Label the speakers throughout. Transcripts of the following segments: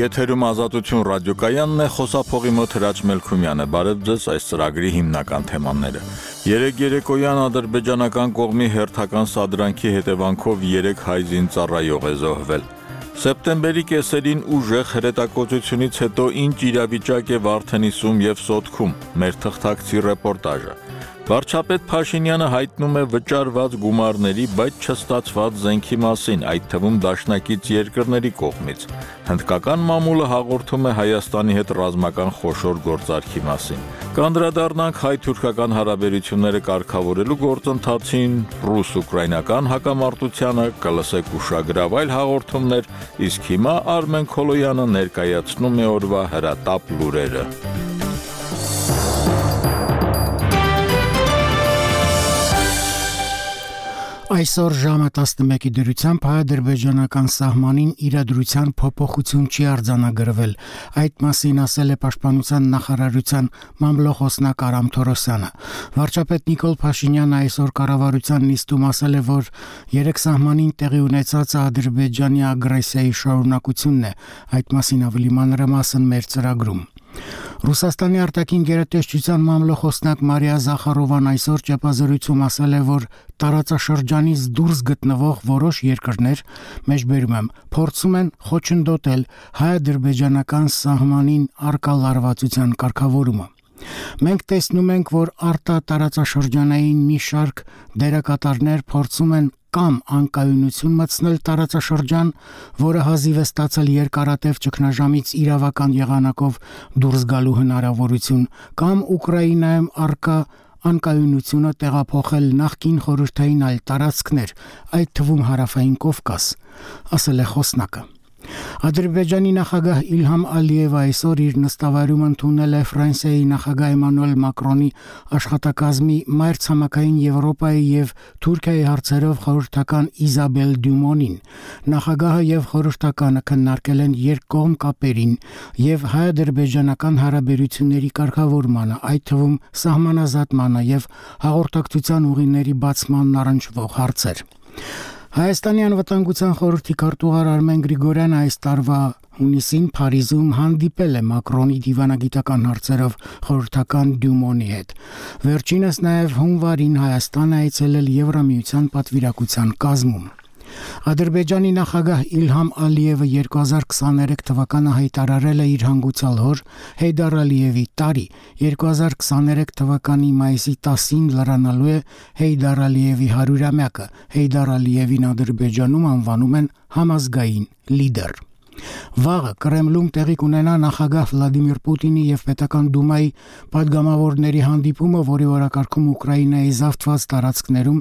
Speaker 1: Եթերում Ազատություն ռադիոկայանն է, խոսափողի մոտ Հրաչ Մելքումյանը։ Բարև ձեզ, այս ծրագրի հիմնական թեմաները։ Երեկ երեկոյան ադրբեջանական կողմի հերթական սադրանքի հետևանքով 3 հայ զինծառայող է զոհվել։ Սեպտեմբերի կեսերին ուժեղ հրետակոծությունից հետո ինչ իրավիճակ է Վարդենիսում եւ Սոտքում։ Մեր թղթակցի ռեպորտաժը։ Վարչապետ Փաշինյանը հայտնում է վճարված գումարների, բայց չստացված զենքի մասին, այդ թվում դաշնակից երկրների կողմից։ Հնդկական մամուլը հաղորդում է Հայաստանի հետ ռազմական խոշոր գործարքի մասին։ Կանդրադառնանք հայ-թուրքական հարաբերությունները կարգավորելու գործընթացին, ռուս-ուկրաինական հակամարտությանը, կլսեք ուշագրավ այլ հաղորդումներ, իսկ հիմա Արմեն Քոլոյանը ներկայացնում է օրվա հրատապ լուրերը։
Speaker 2: Այսօր ժամը 11-ի դրությամբ հայ-ադրբեջանական սահմանին իրադրության փոփոխություն չի արձանագրվել։ Այդ մասին ասել է Պաշտպանության նախարարության մամլոխոսնակ Արամ Թորոսյանը։ Վարչապետ Նիկոլ Փաշինյանը այսօր կառավարության նիստում ասել է, որ 3 սահմանին տեղի ունեցածը Ադրբեջանի ագրեսիայի շարունակությունն է։ Այդ մասին ավելի մանրամասն մեր ծրագրում։ Ռուսաստանի արտաքին գերատեսչության մամլոխոսնակ Մարիա Զախարովան այսօր ճեպազրույցում ասել է, որ տարածաշրջանից դուրս գտնվող որոշ երկրներ, մեջբերում եմ, փորձում են խոչընդոտել հայ-ադրբեջանական սահմանին առկա լարվածության կարգավորումը։ Մենք տեսնում ենք, որ արտատարածաշրջանային մի շարք դերակատարներ փորձում են կամ անկայունություն մտցնել տարածաշրջան, որը հազիվ է ստացել երկարատև ճգնաժամից իրավական եղանակով դուրս գալու հնարավորություն, կամ Ուկրաինայում առկա անկայունությունը տեղափոխել նախկին խորհրդային այլ տարածքներ, այդ թվում հարավային Կովկաս, ասել է խոսնակը։ Ադրբեջանի նախագահ Իլհամ Ալիևը այսօր իր նստավայրում ընդունել է Ֆրանսիայի նախագահ Էմանուել Մակրոնի աշխատակազմի մայրցամաքային Եվրոպայի եւ Թուրքիայի հարցերով խորհրդական Իզաբել Դյումոնին։ Նախագահը եւ խորհրդականը քննարկել են երկկողմ կապերին եւ հայ-ադրբեջանական հարաբերությունների կարգավորմանը, այդ թվում սահմանազատմանը եւ հաղորդակցության ուղիների բացմանն առնչվող հարցեր։ Հայաստանի անվտանգության խորհրդի քարտուղար Արմեն Գրիգորյանը այս տարվա հունիսին Փարիզում հանդիպել է Մակրոնի դիվանագիտական հարցերով խորհրդական Դյումոնի հետ։ Վերջինս նաև հունվարին Հայաստան է այցելել Եվրամիության պատվիրակության կազմում։ Ադրբեջանի նախագահ Իլհամ Ալիևը 2023 թվականը հայտարարել է իր հանգուցյալ հոր Հեյդար Ալիևի տարի։ 2023 թվականի մայիսի 10-ին լրանալու է Հեյդար Ալիևի 100-ամյակը։ Հեյդար Ալիևին Ադրբեջանում անվանում են համազգային լիդեր։ Վաղը Կրեմլում տեղի կունենա նախագահ Վլադիմիր Պուտինի եւ Պետական Դումայի падգամավորների հանդիպումը, որի օրակարգում Ուկրաինայի զավթված տարածքներում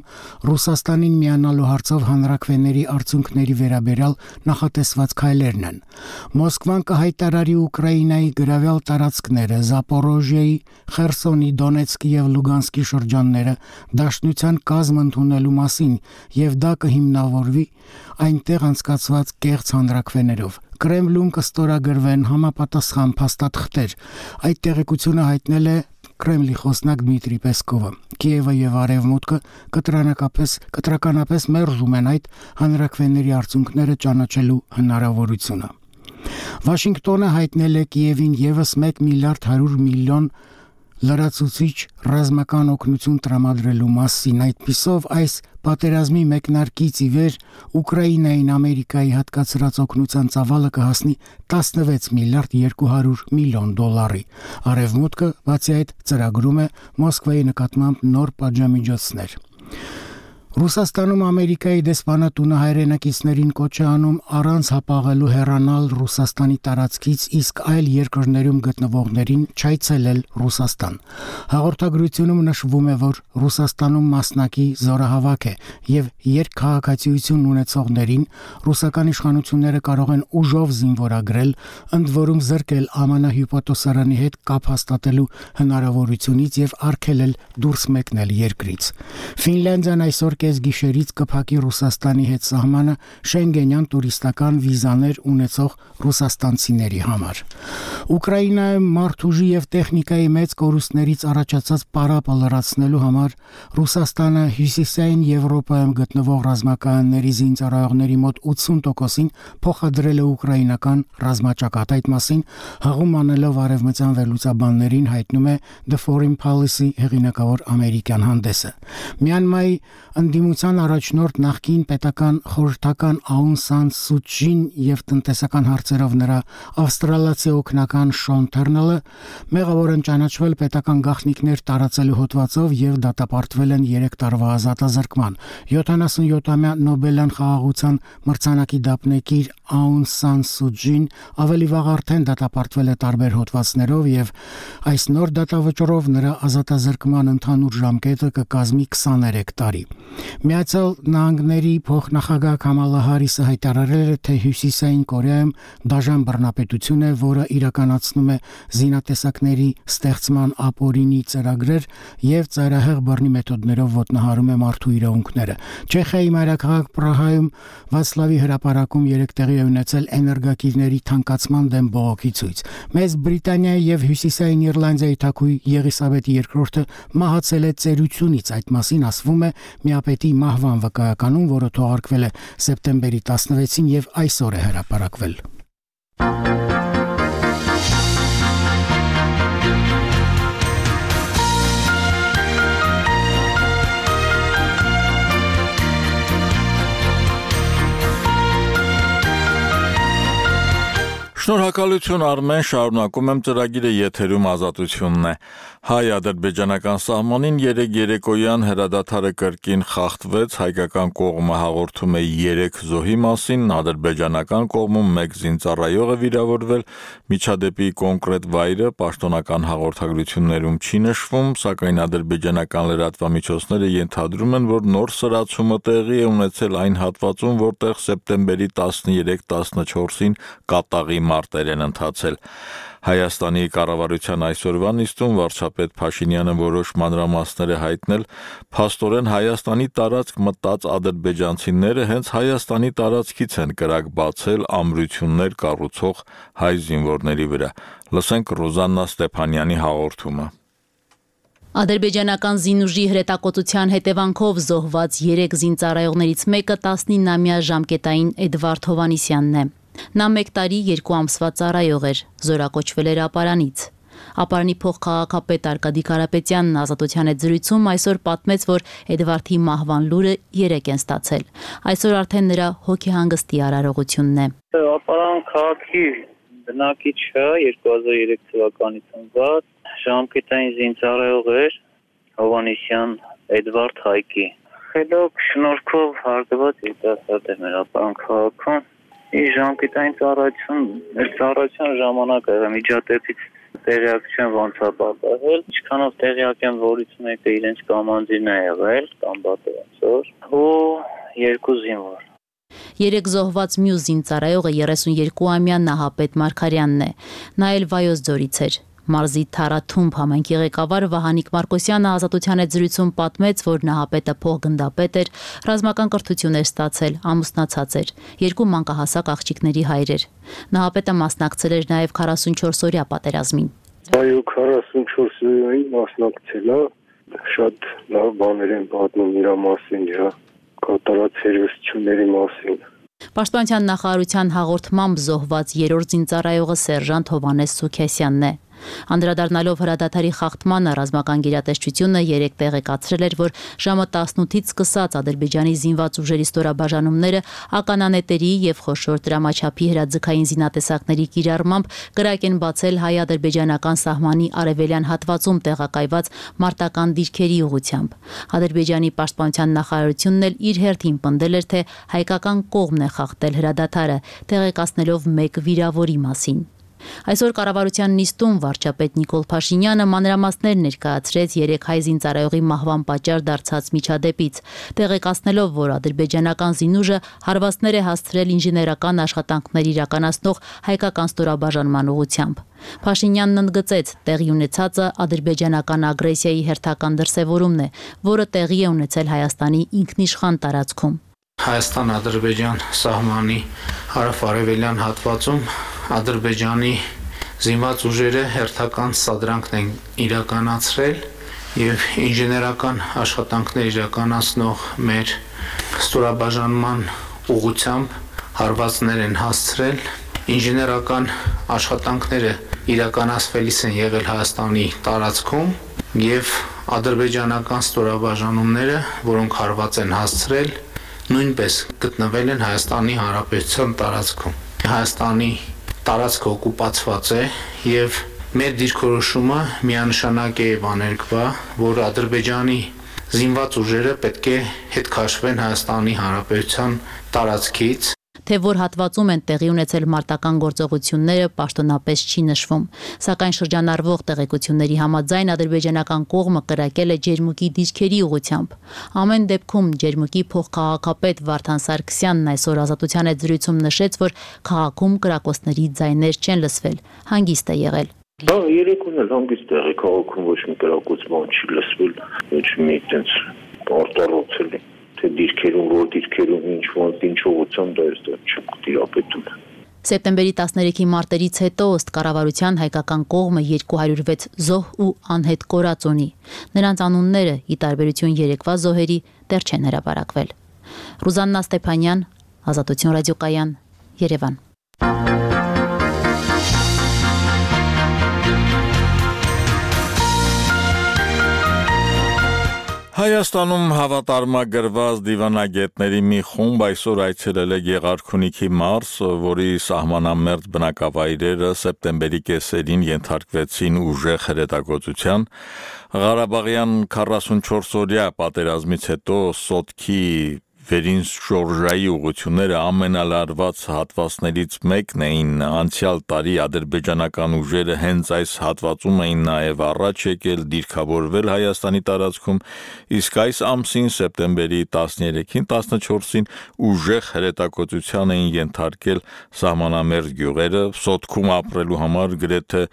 Speaker 2: Ռուսաստանին միանալու հարցով հանրաքվեների արդյունքների վերաբերյալ նախատեսված քայլերն են։ Մոսկվան կհայտարարի Ուկրաինայի գրավյալ տարածքները, Զապորոժիայի, Խերսոնի, Դոնեցկի եւ Լուգանսկի շրջանները դաշնության կազմ ընդունելու մասին եւ դա կհիմնավորվի այնտեղ անցկացված կեղծ հանրաքվեներով։ Կրեմլում կստորագրվեն համապատասխան փաստաթղթեր։ Այդ տեղեկությունը հայտնել է Կրեմլի խոսնակ Դմիտրի Պեսկովը։ Կիևը եւ Արևմուտքը կտրականապես մերժում են այդ հանրաքվեների արդյունքները ճանաչելու հնարավորությունը։ Վաշինգտոնը հայտնել է Կիևին եւս 1 միլիարդ 100 միլիոն լրացուցիչ ռազմական օգնություն տրամադրելու մասին։ Այդպիսով այս պատերազմի մեկնարկից ի վեր Ուկրաինային Ամերիկայի հատկացրած օգնության ծավալը կհասնի 16 միլիարդ 200 միլիոն դոլարի։ Արևմուտքը բացի այդ ծրագրում է Մոսկվայի նկատմամբ նոր պատժամիջոցներ։ Ռուսաստանում Ամերիկայի դեսպանատունը հայրենակիցներին կոչ է անում առանց հապաղելու հեռանալ Ռուսաստանի տարածքից, իսկ այլ երկրներում գտնվողներին չայցելել Ռուսաստան։ Հաղորդագրությունում նշվում է, որ Ռուսաստանում մասնակի զորահավաք է եւ երկքաղաքացիություն ունեցողներին ռուսական իշխանությունները կարող են ուժով զինվորագրել, ընդ որում զրկել ԱՄՆ հյուպատոսարանի հետ կապ հաստատելու հնարավորությունից եւ արգելել դուրս մեկնել երկրից։ Ֆինլանդիան այսօր կեսգիշերից կփակի Ռուսաստանի հետ սահմանը շենգենյան տուրիստական վիզաներ ունեցող ռուսաստանցիների համար։ Ուկրաինայում մարդուժի եւ տեխնիկայի մեծ կորուստներից առաջացած պարապը լրացնելու համար Ռուսաստանը հյուսիսային Եվրոպայում գտնվող ռազմականների զինծառայողների մոտ 80%-ին փոխադրել է ուկրաինական ռազմաճակատ։ Այդ մասին հաղում անելով արևմտյան վերլուծաբաններին հայտնում է The Foreign Policy հեղինակավոր ամերիկյան հանդեսը։ Մյանմայի ընդդիմության առաջնորդ նախկին պետական խորհրդական Աուն Սան Սու Չին եւ տնտեսական հարցերով նրա ավստրալիացի օգնական Շոն Թերնելը մեղավոր են ճանաչվել պետական գաղտնիքներ տարածելու հոդվածով եւ դատապարտվել են 3 տարվա ազատազրկման։ 77-ամյա Նոբելյան խաղաղության մրցանակի դափնեկիր Աուն Սան Սու Չին ավելի վաղ արդեն դատապարտվել է տարբեր հոդվածներով եւ այս նոր դատավճռով նրա ազատազրկման ընդհանուր ժամկետը կկազմի 23 տարի։ Միացյալ Նահանգների փոխնախագահ Կամալա Հարիսը հայտարարել է, թե Հյուսիսային Կորեայում դաժան բռնապետություն է, որը իրականացնում է զինատեսակների ստեղծման ապօրինի ծրագրեր եւ ծայրահեղ բռնի մեթոդներով ոտնահարում է մարդու իրավունքները։ Չեխիայի մայրաքաղաք Պրահայում Վացլավի հրապարակում 3 տեղի է ունեցել էներգակիրների թանկացման դեմ բողոքի ցույց։ Մեծ Բրիտանիայի եւ Հյուսիսային Իռլանդիայի թագուհի Եղիսաբեթի II-ը մահացել է ծերությունից։ Այդ մասին ասվում է միապետի մահվան վկայականում, որը թողարկվել է սեպտեմբերի 16-ին եւ այսօր է հրապարակվել։
Speaker 1: Շնորհակալություն Արմեն, շարունակում եմ ծրագիրը, եթերում Ազատությունն է։ Հայ-ադրբեջանական սահմանին երեկոյան հրադադարը կրկին խախտվեց, հայկական կողմը հաղորդում է 3 զոհի մասին, ադրբեջանական կողմում 1 զինծառայող է վիրավորվել, միջադեպի կոնկրետ վայրը պաշտոնական հաղորդագրություններում չի նշվում, սակայն ադրբեջանական լրատվամիջոցները ենթադրում են, որ նոր սրացումը տեղի է ունեցել այն հատվածում, որտեղ սեպտեմբերի 13-14-ին կատաղի մարտեր են ընթացել։ Հայաստանի կառավարության այսօրվա նիստում վարչապետ Փաշինյանը որոշ մանրամասներ է հայտնել, փաստորեն Հայաստանի տարածք մտած ադրբեջանցիները հենց Հայաստանի տարածքից են կրակ բացել ամրություններ կառուցող հայ զինվորների վրա։ Լսենք Ռոզաննա Ստեփանյանի հաղորդումը։
Speaker 3: Ադրբեջանական զինուժի հրետակոծության հետևանքով զոհված 3 զինծառայողներից մեկը 19-ամյա ժամկետային Էդվարդ Հովանիսյանն է։ Նա 1 տարի 2 ամսվա ծառայող էր, զորակոչվել էր ապարանից։ Ապարանի փոխքաղաքապետ Արկադի Կարապետյանն Ազատության հետ զրույցում այսօր պատմեց, որ Էդվարդի մահվան լուրը 3 են ստացել։ Այսօր արդեն նրա հոգեհանգստի արարողությունն է։
Speaker 4: Ապարան քաղաքի բնակիչը 2003 թվականից ծնված ժամկետային զինծառայող էր Հովանիսյան Էդվարդ Հայկի։ Խելոք շնորհքով հարգված երիտասարդ է մեր ապարան քաղաքում։ Իր ժամկետային ծառայության ժամանակ միջադեպից տեղյակ չեմ ոնց է պատահել, ինչքանով տեղյակ եմ, որից մեկը իրենց կամանդին է եղել, կամ բատոնցոր, ու 2 զինվոր։
Speaker 3: 3 զոհված մյուս զինծառայողը 32-ամյա Նահապետ Մարգարյանն է։ Նա էլ Վայոց ձորից էր։ Մարզի Թարաթումբ համայնքի ղեկավար Վահանիկ Մարկոսյանը Ազատության հետ զրույցում պատմեց, որ Նահապետը փոխգնդապետ էր, ռազմական կրթություն էր ստացել, ամուսնացած էր, 2 մանկահասակ աղջիկների հայր էր։ Նահապետը մասնակցել էր նաև 44-օրյա պատերազմին։
Speaker 5: Այո, 44-օրյային մասնակցել է, շատ լավ բաներ են պատմում իր մասին, իր կատարած հերոսությունների մասին։
Speaker 3: Պաշտպանության նախարարության հաղորդմամբ զոհված 3-րդ զինծառայողը սերժանտ Հովանես Սուքեսյանն է։ Անդրադառնալով հրադադարի խախտմանը ռազմական գերատեսչությունը 3 տեղեկացրել էր, որ ժամը 18-ից սկսած Ադրբեջանի զինված ուժերի ստորաբաժանումները ականանետերի եւ խոշոր դրամաչափի հրաձգային զինատեսակների կիրառմամբ կրակ են բացել հայ-ադրբեջանական սահմանի արևելյան հատվածում տեղակայված մարտական դիրքերի ուղղությամբ։ Ադրբեջանի պաշտպանության նախարարությունն էլ իր հերթին պնդել էր, թե հայկական կողմն է խախտել հրադադարը, տեղեկացնելով 1 վիրավորի մասին։ Այսօր կառավարության նիստում վարչապետ Նիկոլ Փաշինյանը մանրամասներ ներկայացրեց 3 հայ զինծառայողի մահվան պատճառ դարձած միջադեպից, տեղեկացնելով, որ ադրբեջանական զինուժը հարվածներ է հասցրել ինժեներական աշխատանքներ իրականացնող հայկական ստորաբաժանման ուղղությամբ։ Փաշինյանն ընդգծեց, տեղի ունեցածը ադրբեջանական ագրեսիայի հերթական դրսևորումն է, որը տեղի է ունեցել Հայաստանի ինքնիշխան տարածքում։
Speaker 6: Հայաստան-Ադրբեջան սահմանի հարավ-արևելյան հատվածում Ադրբեջանի զինված ուժերը հերթական սադրանքն են իրականացրել եւ ինժեներական աշխատանքներ իրականացնող մեր ստորաբաժանման ուղղությամբ հարվածներ են հասցրել։ Ինժեներական աշխատանքները իրականացվելիս են եղել Հայաստանի տարածքում եւ ադրբեջանական ստորաբաժանումները, որոնք հարված են հասցրել, նույնպես գտնվել են Հայաստանի Հանրապետության տարածքում։ Հայաստանի տարածքը օկուպացված է եւ մեր դիրքորոշումը միանշանակ է եւ աներկբա, որ Ադրբեջանի զինված ուժերը պետք է հետ քաշվեն Հայաստանի Հանրապետության տարածքից։
Speaker 3: Թե որ հատվածում են տեղի ունեցել մարտական գործողությունները պաշտոնապես չի նշվում, սակայն շրջանառվող տեղեկությունների համաձայն ադրբեջանական կողմը կրակել է ջերմուկի դիրքերի ուղղությամբ։ Ամեն դեպքում ջերմուկի փոխքաղաքապետ Վարդան Սարգսյանն այսօր Ազատության հետ զրույցում նշեց, որ քաղաքում կրակոցների ձայներ չեն լսվել, հանգիստ է եղել։
Speaker 5: Դա երեկոն էլ հանգիստ եղի, քաղաքում ոչ մի կրակոց բան չի լսվել, ոչ մի այդպես արտարոցել է։ Թե դիրքերում, որ դիրքերում ինչ ուղղությամբ դա չեմ տիրապետում։
Speaker 3: Սեպտեմբերի 13-ի մարտերից հետո ըստ կառավարության հայկական կողմը 206 զոհ ու անհետ կորած ունի։ Նրանց անունները, ի տարբերություն երեկվա զոհերի, դեռ չեն հրապարակվել։ Ռուզաննա Ստեփանյան, Ազատություն ռադիոկայան, Երևան։
Speaker 1: Հայաստանում հավատարմագրված դիվանագետների մի խումբ այսօր այցելել է Գեղարքունիքի մարզ, որի սահմանամերձ բնակավայրերը սեպտեմբերի կեսերին ենթարկվեցին ուժեղ հրետակոծության։ Ղարաբաղյան 44-օրյա պատերազմից հետո Սոտքի վերին շորժայի ուղղությունները ամենալարված հատվածներից մեկն էին։ Անցյալ տարի ադրբեջանական ուժերը հենց այս հատվածում էին նաև առաջ եկել դիրքավորվել Հայաստանի տարածքում, իսկ այս ամսին սեպտեմբերի 13-ին 14-ին ուժեղ հրետակոծության էին ենթարկել սահմանամերձ գյուղերը, Սոտքում ապրելու համար գրեթե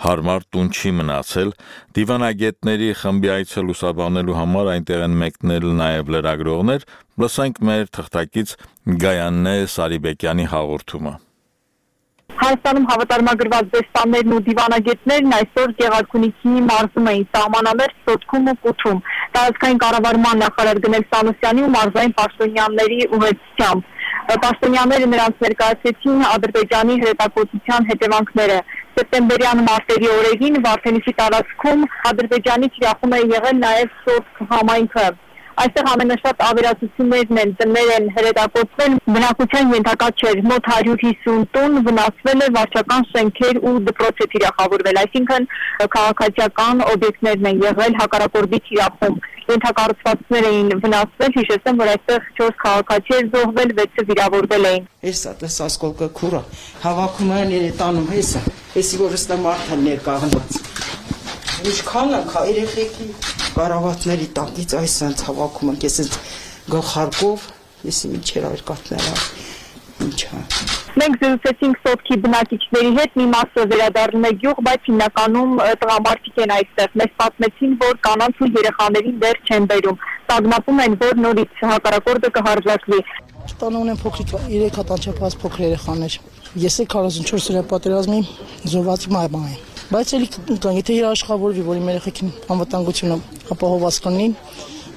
Speaker 1: հարմար տուն չի մնացել։ Դիվանագետների խմբի այցը լուսաբանելու համար այնտեղ են մեկնել նաև լրագրողներ։ Լսենք մեր թղթակից Գայանե Սարիբեկյանի հաղորդումը։
Speaker 7: Հայաստանում հավատարմագրված դեսպաններն ու դիվանագետներն այսօր Գեղարքունիքի մարզում էին սահմանամերձ Սոտքում ու Կութում։ Տարածքային կառավարման նախարար Գնել Սանոսյանի ու մարզային պաշտոնյաների ուղեկցությամբ։ Պաշտոնյաները նրանց ներկայացրեցին Ադրբեջանի հրետակոծության հետևանքները։ Սեպտեմբերյան մարտերի օրերին Վարդենիսի տարածքում Ադրբեջանի թիրախում է եղել նաև Սոտք համայնքը։ Այստեղ ամենաշատ ավերածություններն են, տներ են հրետակոծվել, բնակության ենթակա չէր, մոտ 150 տուն վնասվել է, վարչական շենքեր ու դպրոց է թիրախավորվել, այսինքն քաղաքացիական օբյեկտներն են եղել հակառակորդի թիրախում, ենթակառուցվածքներ էին վնասվել, հիշեցեմ, որ այստեղ 4 քաղաքացի էր զոհվել, 6-ը վիրավորվել էին։
Speaker 8: Հեսա տես ասկոլկը քուրա, հավաքում են երետանում հեսա, հեսի որ ստա մարդը ներկաղնված։ Ինչքան է երեխեքի կարավատների տակից այս սենց հավաքում ենք, ես սենց գլխարկով, եսի միջեր արկատները, ինչա։
Speaker 7: Մենք զրուցեցինք Սոտքի բնակիչների հետ, մի մասը վերադառնում է գյուղ, բայց հիմնականում տղամարդիկ են այստեղ։ Մեզ պատմեցին, որ կանանց ու երեխաներին դեռ չեն բերում։ Տագնապում են, որ նորից հակառակորդը կհարձակվի։
Speaker 8: Տանը ունեն փոքրիկ 3 հատ անչափահաս փոքր երեխաներ։ Ես էլ 44 օրյա պատերազմի զոհվածի մայր եմ։ Բայց էլի եթե երաշխավորվի, որ իմ երեխեքին անվտանգությունը ապահովված կլինի,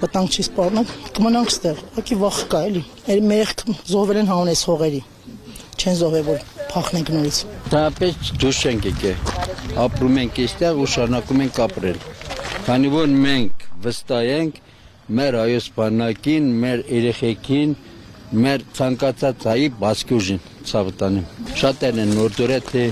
Speaker 8: վտանգ չի սպառնա, կմնանք ստեղ։ Ուղղակի վախ կա էլի։ Մեր զոհվել են հանես հողերի։ Չեն զոհվել, որ փախնենք նորից։
Speaker 9: Դրապես դուրս ենք եկել։ Ապրում ենք այստեղ ու շարունակում ենք ապրել։ Քանի որ մենք վստահ ենք մեր հայոց բանակին, մեր երեխեքին, մեր ցանկացած հայի բասկի ուժին, ցավտանեմ։ Շատերն են նորդորը թե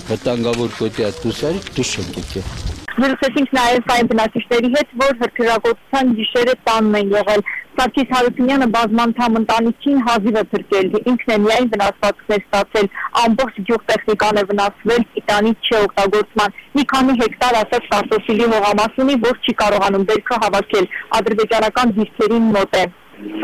Speaker 9: վտանգավոր կոտի դուսարի դուրս ենք եկել։
Speaker 7: Զրուցեցինք նաև այն բնակիչների հետ, որ հրթիռակոծության գիշերը տանն են եղել։ Սարգիս Հարությունյանը բազմանդամ ընտանիքին հազիվ է փրկել, ինքն է միայն վնասվածքներ ստացել, ամբողջ գյուղտեխնիկան է վնասվել, տիտանի չօգտագործման, մի քանի հեկտար ասած կարտոֆիլի հողամաս ունի, որ չի կարողանում բերքը հավաքել, ադրբեջանական դիրքերին մոտ է։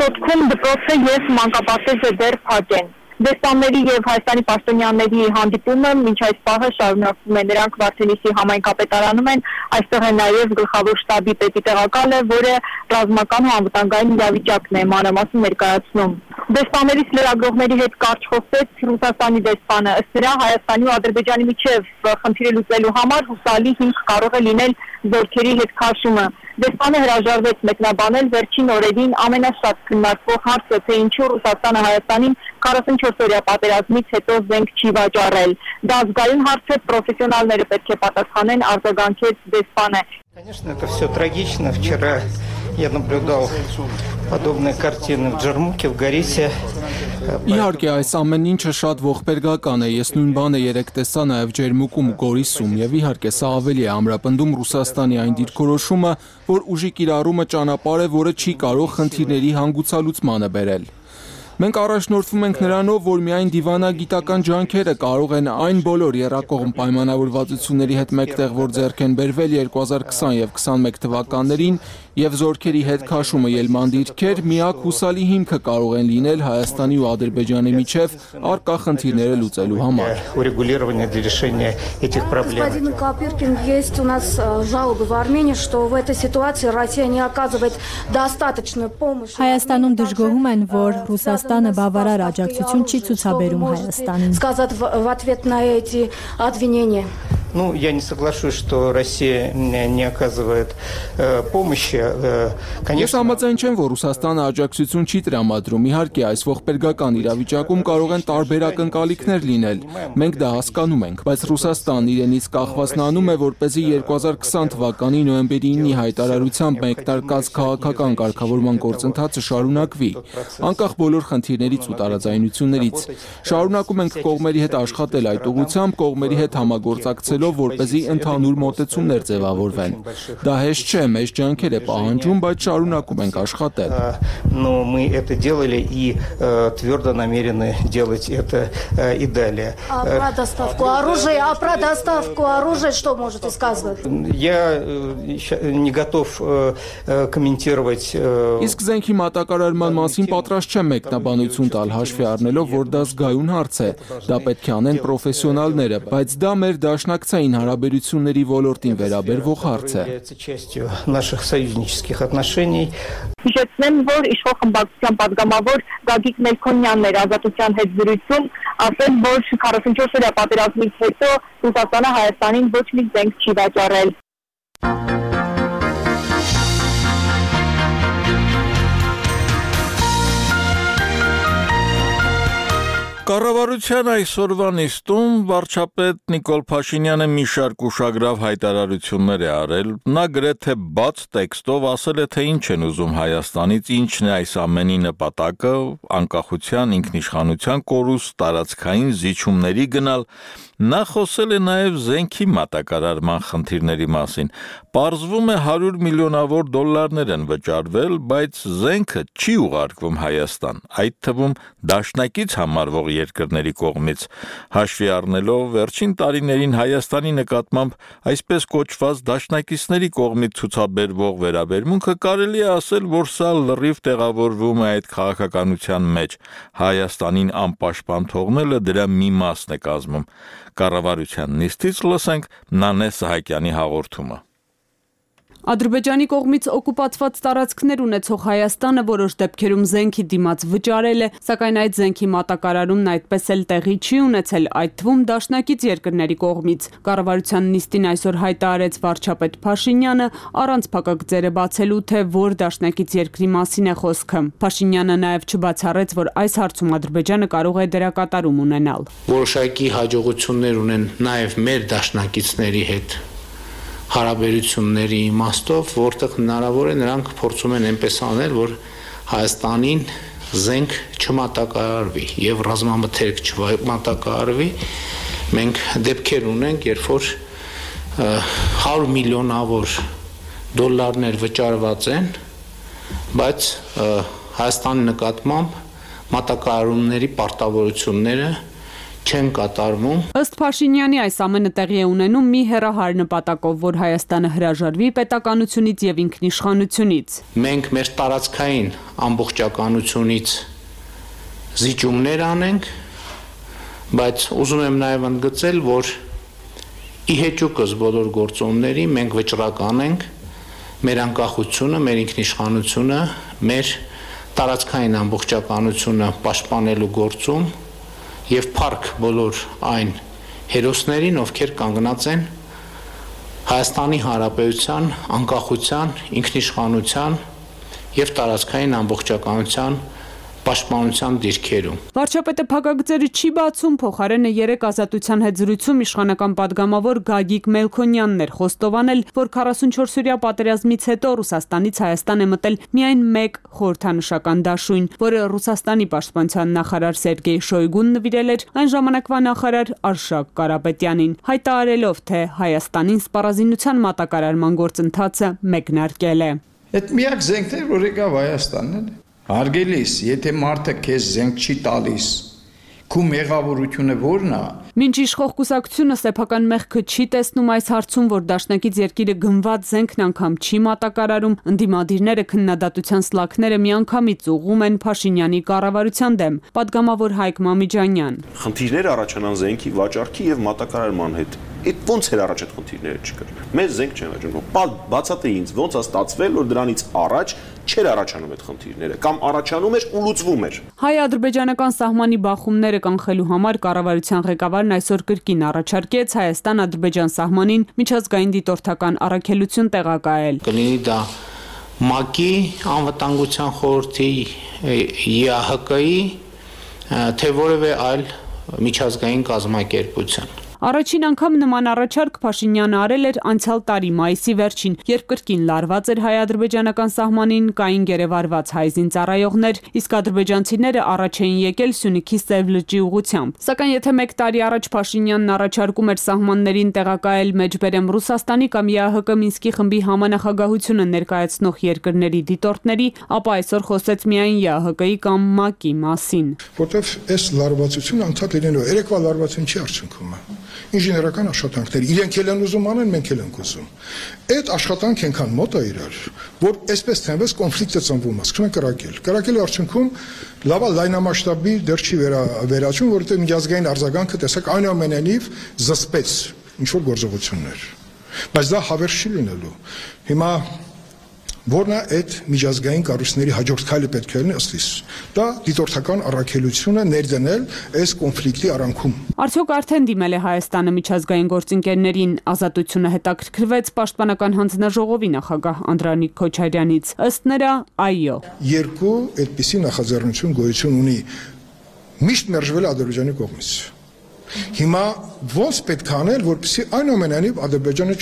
Speaker 7: Սոտքում դպրոցը և մանկապարտեզը դեռ փակ են։ Դեսպանների և Հայաստանի պաշտոնյաների հանդիպումը մինչ այս պահը շարունակվում է, նրանք Վարդենիսի համայնքապետարանում են, այստեղ է նաև գլխավոր շտաբի պետի տեղակալը, որը ռազմական ու անվտանգային իրավիճակն է մանրամասն ներկայացնում։ Դեսպաններից լրագրողների հետ կարճ խոսեց Ռուսաստանի դեսպանը, ըստ դրա Հայաստանի ու Ադրբեջանի միջև խնդիրը լուծելու համար հուսալի հիմք կարող է լինել զորքերի հետ քաշումը։ Դեսպանը հրաժարվեց մեկնաբանել վերջին օրերին ամենաշատ քննարկվող հարցը, թե ինչու Ռուսաստանը Հայաստանին 44-օրյա պատերազմից հետո զենք չի վաճառել։ Դա զգայուն հարց է, պրոֆեսիոնալները պետք է պատասխանեն, արձագանքեց դեսպանը։
Speaker 10: Конечно, это все трагично. Вчера я наблюдал подобные картины в Джармуке, в Горисе.
Speaker 11: Իհարկե, այս ամեն ինչը շատ ողբերգական է, ես նույն բանը երեք տեսա նաև Ջերմուկում ու Գորիսում, եւ իհարկե սա ավելի է ամրապնդում Ռուսաստանի այն դիրքորոշումը, որ ուժի կիրառումը ճանապարհ է, որը չի կարող խնդիրների հանգուցալուծմանը բերել։ Մենք առաջնորդվում ենք նրանով, որ միայն դիվանագիտական ջանքերը կարող են այն բոլոր եռակողմ պայմանավորվածությունների հետ մեկտեղ, որ ձեռք են բերվել 2020 եւ 21 թվականներին, եւ զորքերի հետ քաշումը ելման դիրքեր, միակ հուսալի հիմքը կարող են լինել Հայաստանի ու Ադրբեջանի միջև առկա խնդիրները լուծելու համար։
Speaker 12: Господин Копыркин, есть у нас жалобы в Армении, что в этой ситуации Россия не оказывает достаточную помощь.
Speaker 13: Հայաստանում դժգոհում են, որ Ռուսաստանը բավարար աջակցություն չի ցուցաբերում Հայաստանին։
Speaker 12: Сказать в ответ на эти обвинения.
Speaker 10: Ну, я не соглашусь, что Россия не оказывает помощи.
Speaker 11: Ես համաձայն չեմ, որ Ռուսաստանը աջակցություն չի տրամադրում։ Իհարկե, այս ողբերգական իրավիճակում կարող են տարբեր ակնկալիքներ լինել։ Մենք դա հասկանում ենք, բայց Ռուսաստանն իրենից կախվածն անում է, որպեսզի 2020 թվականի նոյեմբերի 9-ի հայտարարությամբ մեկնարկած քաղաքական կարգավորման գործընթացը շարունակվի, անկախ բոլոր խնդիրներից ու տարաձայնություններից։ Շարունակում ենք կողմերի հետ աշխատել այդ ուղղությամբ, կողմերի հետ համագործակցելով, որպեսզի ընդհանուր մոտեցումներ ձևավորվեն։ Դա հեշտ չէ, մեծ ջանքեր է պահանջում, բայց шарունակում ենք աշխատել։
Speaker 10: Но мы это делали и твердо намерены делать это и далее.
Speaker 12: А про доставку оружия что можете сказать?
Speaker 10: Я не готов комментировать.
Speaker 11: Իսկ զենքի մատակարարման մասին պատրաստ չեմ մեկնաբանություն տալ հաշվի առնելով, որ դա զգայուն հարց է։ Դա պետք է անեն պրոֆեսիոնալները, բայց դա մեր դաշնակցային հարաբերությունների ոլորտին վերաբերվող հարց է։
Speaker 10: Наших союзнических отношений.
Speaker 7: Հիշեցնեմ, որ իշխող խմբակցության падգամավոր Գագիկ Մելքոնյանն էր Ազատության հետ զրույցում, ասել, որ 44-օրյա պատերազմից հետո Ռուսաստանը Հայաստանին ոչ մի զենք չի վաճառել։
Speaker 1: Կառավարության այսօրվա նիստում վարչապետ Նիկոլ Փաշինյանը մի շարք ուշագրավ հայտարարություններ է արել։ Նա գրեթե բաց տեքստով ասել է, թե ինչ են ուզում Հայաստանից, ինչն է այս ամենի նպատակը, անկախության, ինքնիշխանության կորուստ, տարածքային զիջումների գնալ։ Նա խոսել է նաև զենքի մատակարարման խնդիրների մասին։ Պարզվում է 100 միլիոնավոր դոլարներ են վճարվել, բայց զենքը չի ուղարկվում Հայաստան, այդ թվում դաշնակից համարվող երկրների կողմից։ Հաշվի առնելով վերջին տարիներին Հայաստանի նկատմամբ այսպես կոչված դաշնակիցների կողմից ցուցաբերվող վերաբերմունքը կարելի է ասել, որ սա լրիվ տեղավորվում է այդ քաղաքականության մեջ։ Հայաստանին անպաշտպան թողնելը դրա մի մասն է կազմում։ Կառավարության նիստից լսենք Նանե Սահակյանի հաղորդումը։
Speaker 14: Ադրբեջանի կողմից օկուպացված տարածքներ ունեցող Հայաստանը որոշ դեպքերում զենքի դիմաց վճարել է, սակայն այդ զենքի մատակարարումն այդպես էլ տեղի չի ունեցել, այդ թվում դաշնակից երկրների կողմից։ Կառավարության նիստին այսօր հայտարարեց վարչապետ Փաշինյանը, առանց փակագծերը բացելու, թե որ դաշնակից երկրի մասին է խոսքը։ Փաշինյանը նաև չբացառեց, որ այս հարցում Ադրբեջանը կարող է դերակատարում ունենալ։
Speaker 6: Որոշակի հաջողություններ ունեն նաև մեր դաշնակիցների հետ հարաբերությունների իմաստով, որտեղ հնարավոր է նրանք փորձում են այնպես անել, որ Հայաստանին զենք չմատակարարվի եւ ռազմամթերք չմատակարարվի։ Մենք դեպքեր ունենք, երբ որ 100 միլիոնավոր դոլարներ վճարված են բայց Հայաստանի նկատմամբ մատակարարումների պարտավորությունները չեն կատարվում։
Speaker 14: Ըստ Փաշինյանի այս ամենը տեղի է ունենում մի հեռահար նպատակով, որ Հայաստանը հրաժարվի պետականությունից եւ ինքնիշխանությունից։
Speaker 6: Մենք մեր տարածքային ամբողջականությունից զիջումներ անենք, բայց ուզում եմ նաեւ ընդգծել, որ ի հեճուկս բոլոր գործոնների մենք վճռական ենք մեր անկախությունը, մեր ինքնիշխանությունը, մեր տարածքային ամբողջականությունը պաշտպանելու գործում եւ փառք բոլոր այն հերոսներին, ովքեր կանգնած են Հայաստանի Հանրապետության անկախության, ինքնիշխանության եւ տարածքային ամբողջականության պաշտպանության դիրքերում։
Speaker 14: Վարչապետը փակագծերը չի բացում, փոխարենը 3 ազատության հետ զրույցում իշխանական падգամավոր Գագիկ Մելքոնյանն էր խոստովանել, որ 44-օրյա պատերազմից հետո Ռուսաստանից Հայաստան է մտել միայն մեկ խորհրդանշական դաշույն, որը Ռուսաստանի պաշտպանության նախարար Սերգեյ Շոյգուն նվիրել էր այն ժամանակվա նախարար Արշակ Կարապետյանին, հայտարարելով, թե Հայաստանին սպառազինության մատակարարման գործընթացը մեկնարկել է։
Speaker 15: Այդ միակ զենքն է, որ եկավ Հայաստանն է։ Հարգելիս, եթե մարդը քեզ զենք չի տալիս, քու մեղավորությունը ո՞րն է։
Speaker 14: Մինչ իշխող կուսակցությունը սեփական մեղքը չի տեսնում այս հարցում, որ դաշնակից երկիրը գնված զենքն անգամ չի մատակարարում, ընդդիմադիրները քննադատության սլաքները միանգամից ուղղում են Փաշինյանի կառավարության դեմ։ Պատգամավոր Հայկ Մամիջանյան։
Speaker 16: Խնդիրներ առաջանան զենքի վաճառքի եւ մատակարարման հետ։ Այդ ոնց էր առաջ այդ խնդիրները չկար։ Մեզ զենք չեն վաճառում։ Բացատրի ինձ ոնց է ստացվել, որ դրանից առաջ չէր առաջանում այդ խնդիրները կամ առաջանում էր ու լուծվում էր։
Speaker 14: Հայ-ադրբեջանական սահմանի բախումները կանխելու համար կառավարության ղեկավարն այսօր կրկին առաջարկեց Հայաստան-Ադրբեջան սահմանին միջազգային դիտորդական առաքելություն տեղակայել։
Speaker 6: Կլինի դա ՄԱԿ-ի, Անվտանգության խորհրդի, ԵԱՀԿ-ի, թե որևէ այլ միջազգային կազմակերպության։
Speaker 14: Առաջին անգամ նման առաջարկ Փաշինյանը արել էր անցյալ տարի մայիսի վերջին, երբ կրկին լարված էր հայ-ադրբեջանական սահմանին կային գերեվարված հայ զինծառայողներ, իսկ ադրբեջանցիները առաջ էին եկել Սյունիքի Սև լճի ուղղությամբ։ Սակայն եթե մեկ տարի առաջ Փաշինյանն առաջարկում էր սահմաններին տեղակայել մեջբերեմ Ռուսաստանի կամ ԵԱՀԿ Մինսկի խմբի համանախագահությունը ներկայացնող երկրների դիտորդների, ապա այսօր խոսեց միայն ԵԱՀԿ-ի կամ ՄԱԿ-ի մասին։
Speaker 17: Որտեվ այս լարվածությունը անդադ լինելու երեկվա լարվածություն չի արդյունքում։ Ինժեներական աշխատանքներ, իրենք էլ են ուզում անեն, մենք էլ ենք ուզում։ Այդ աշխատանք այնքան մոտ է իրար, որ այսպես թեւս կոնֆլիկտը ծնվում է, սկսում է կրակել։ Կրակելու արդյունքում լավա լայնամասշտաբի դեռ չի վերաճում, որովհետեւ միջազգային արձագանքը տեսակ այնուամենայնիվ զսպեց ինչ որ գործողություններ։ Բայց դա հավերժ չի լինելու։ Հիմա որն է այդ միջազգային կառույցների հաջորդ քայլը պետք է լինի ըստ իս։ Դա դիտորդական առաքելությունը ներդնել այս կոնֆլիկտի արանքում։
Speaker 14: Արդյոք արդեն դիմել է Հայաստանը միջազգային գործընկերներին, Ազատությունը հետաքրքրվեց Պաշտպանական հանձնաժողովի նախագահ Անդրանիկ Քոչարյանից։ Ըստ նրա, այո։
Speaker 17: Երկու այդպիսի նախաձեռնություն գոյություն ունի միշտ մերժվել Ադրբեջանի կողմից։ Հիմա ոնց պետք է անել, որպեսզի այնուամենայնիվ Ադրբեջանը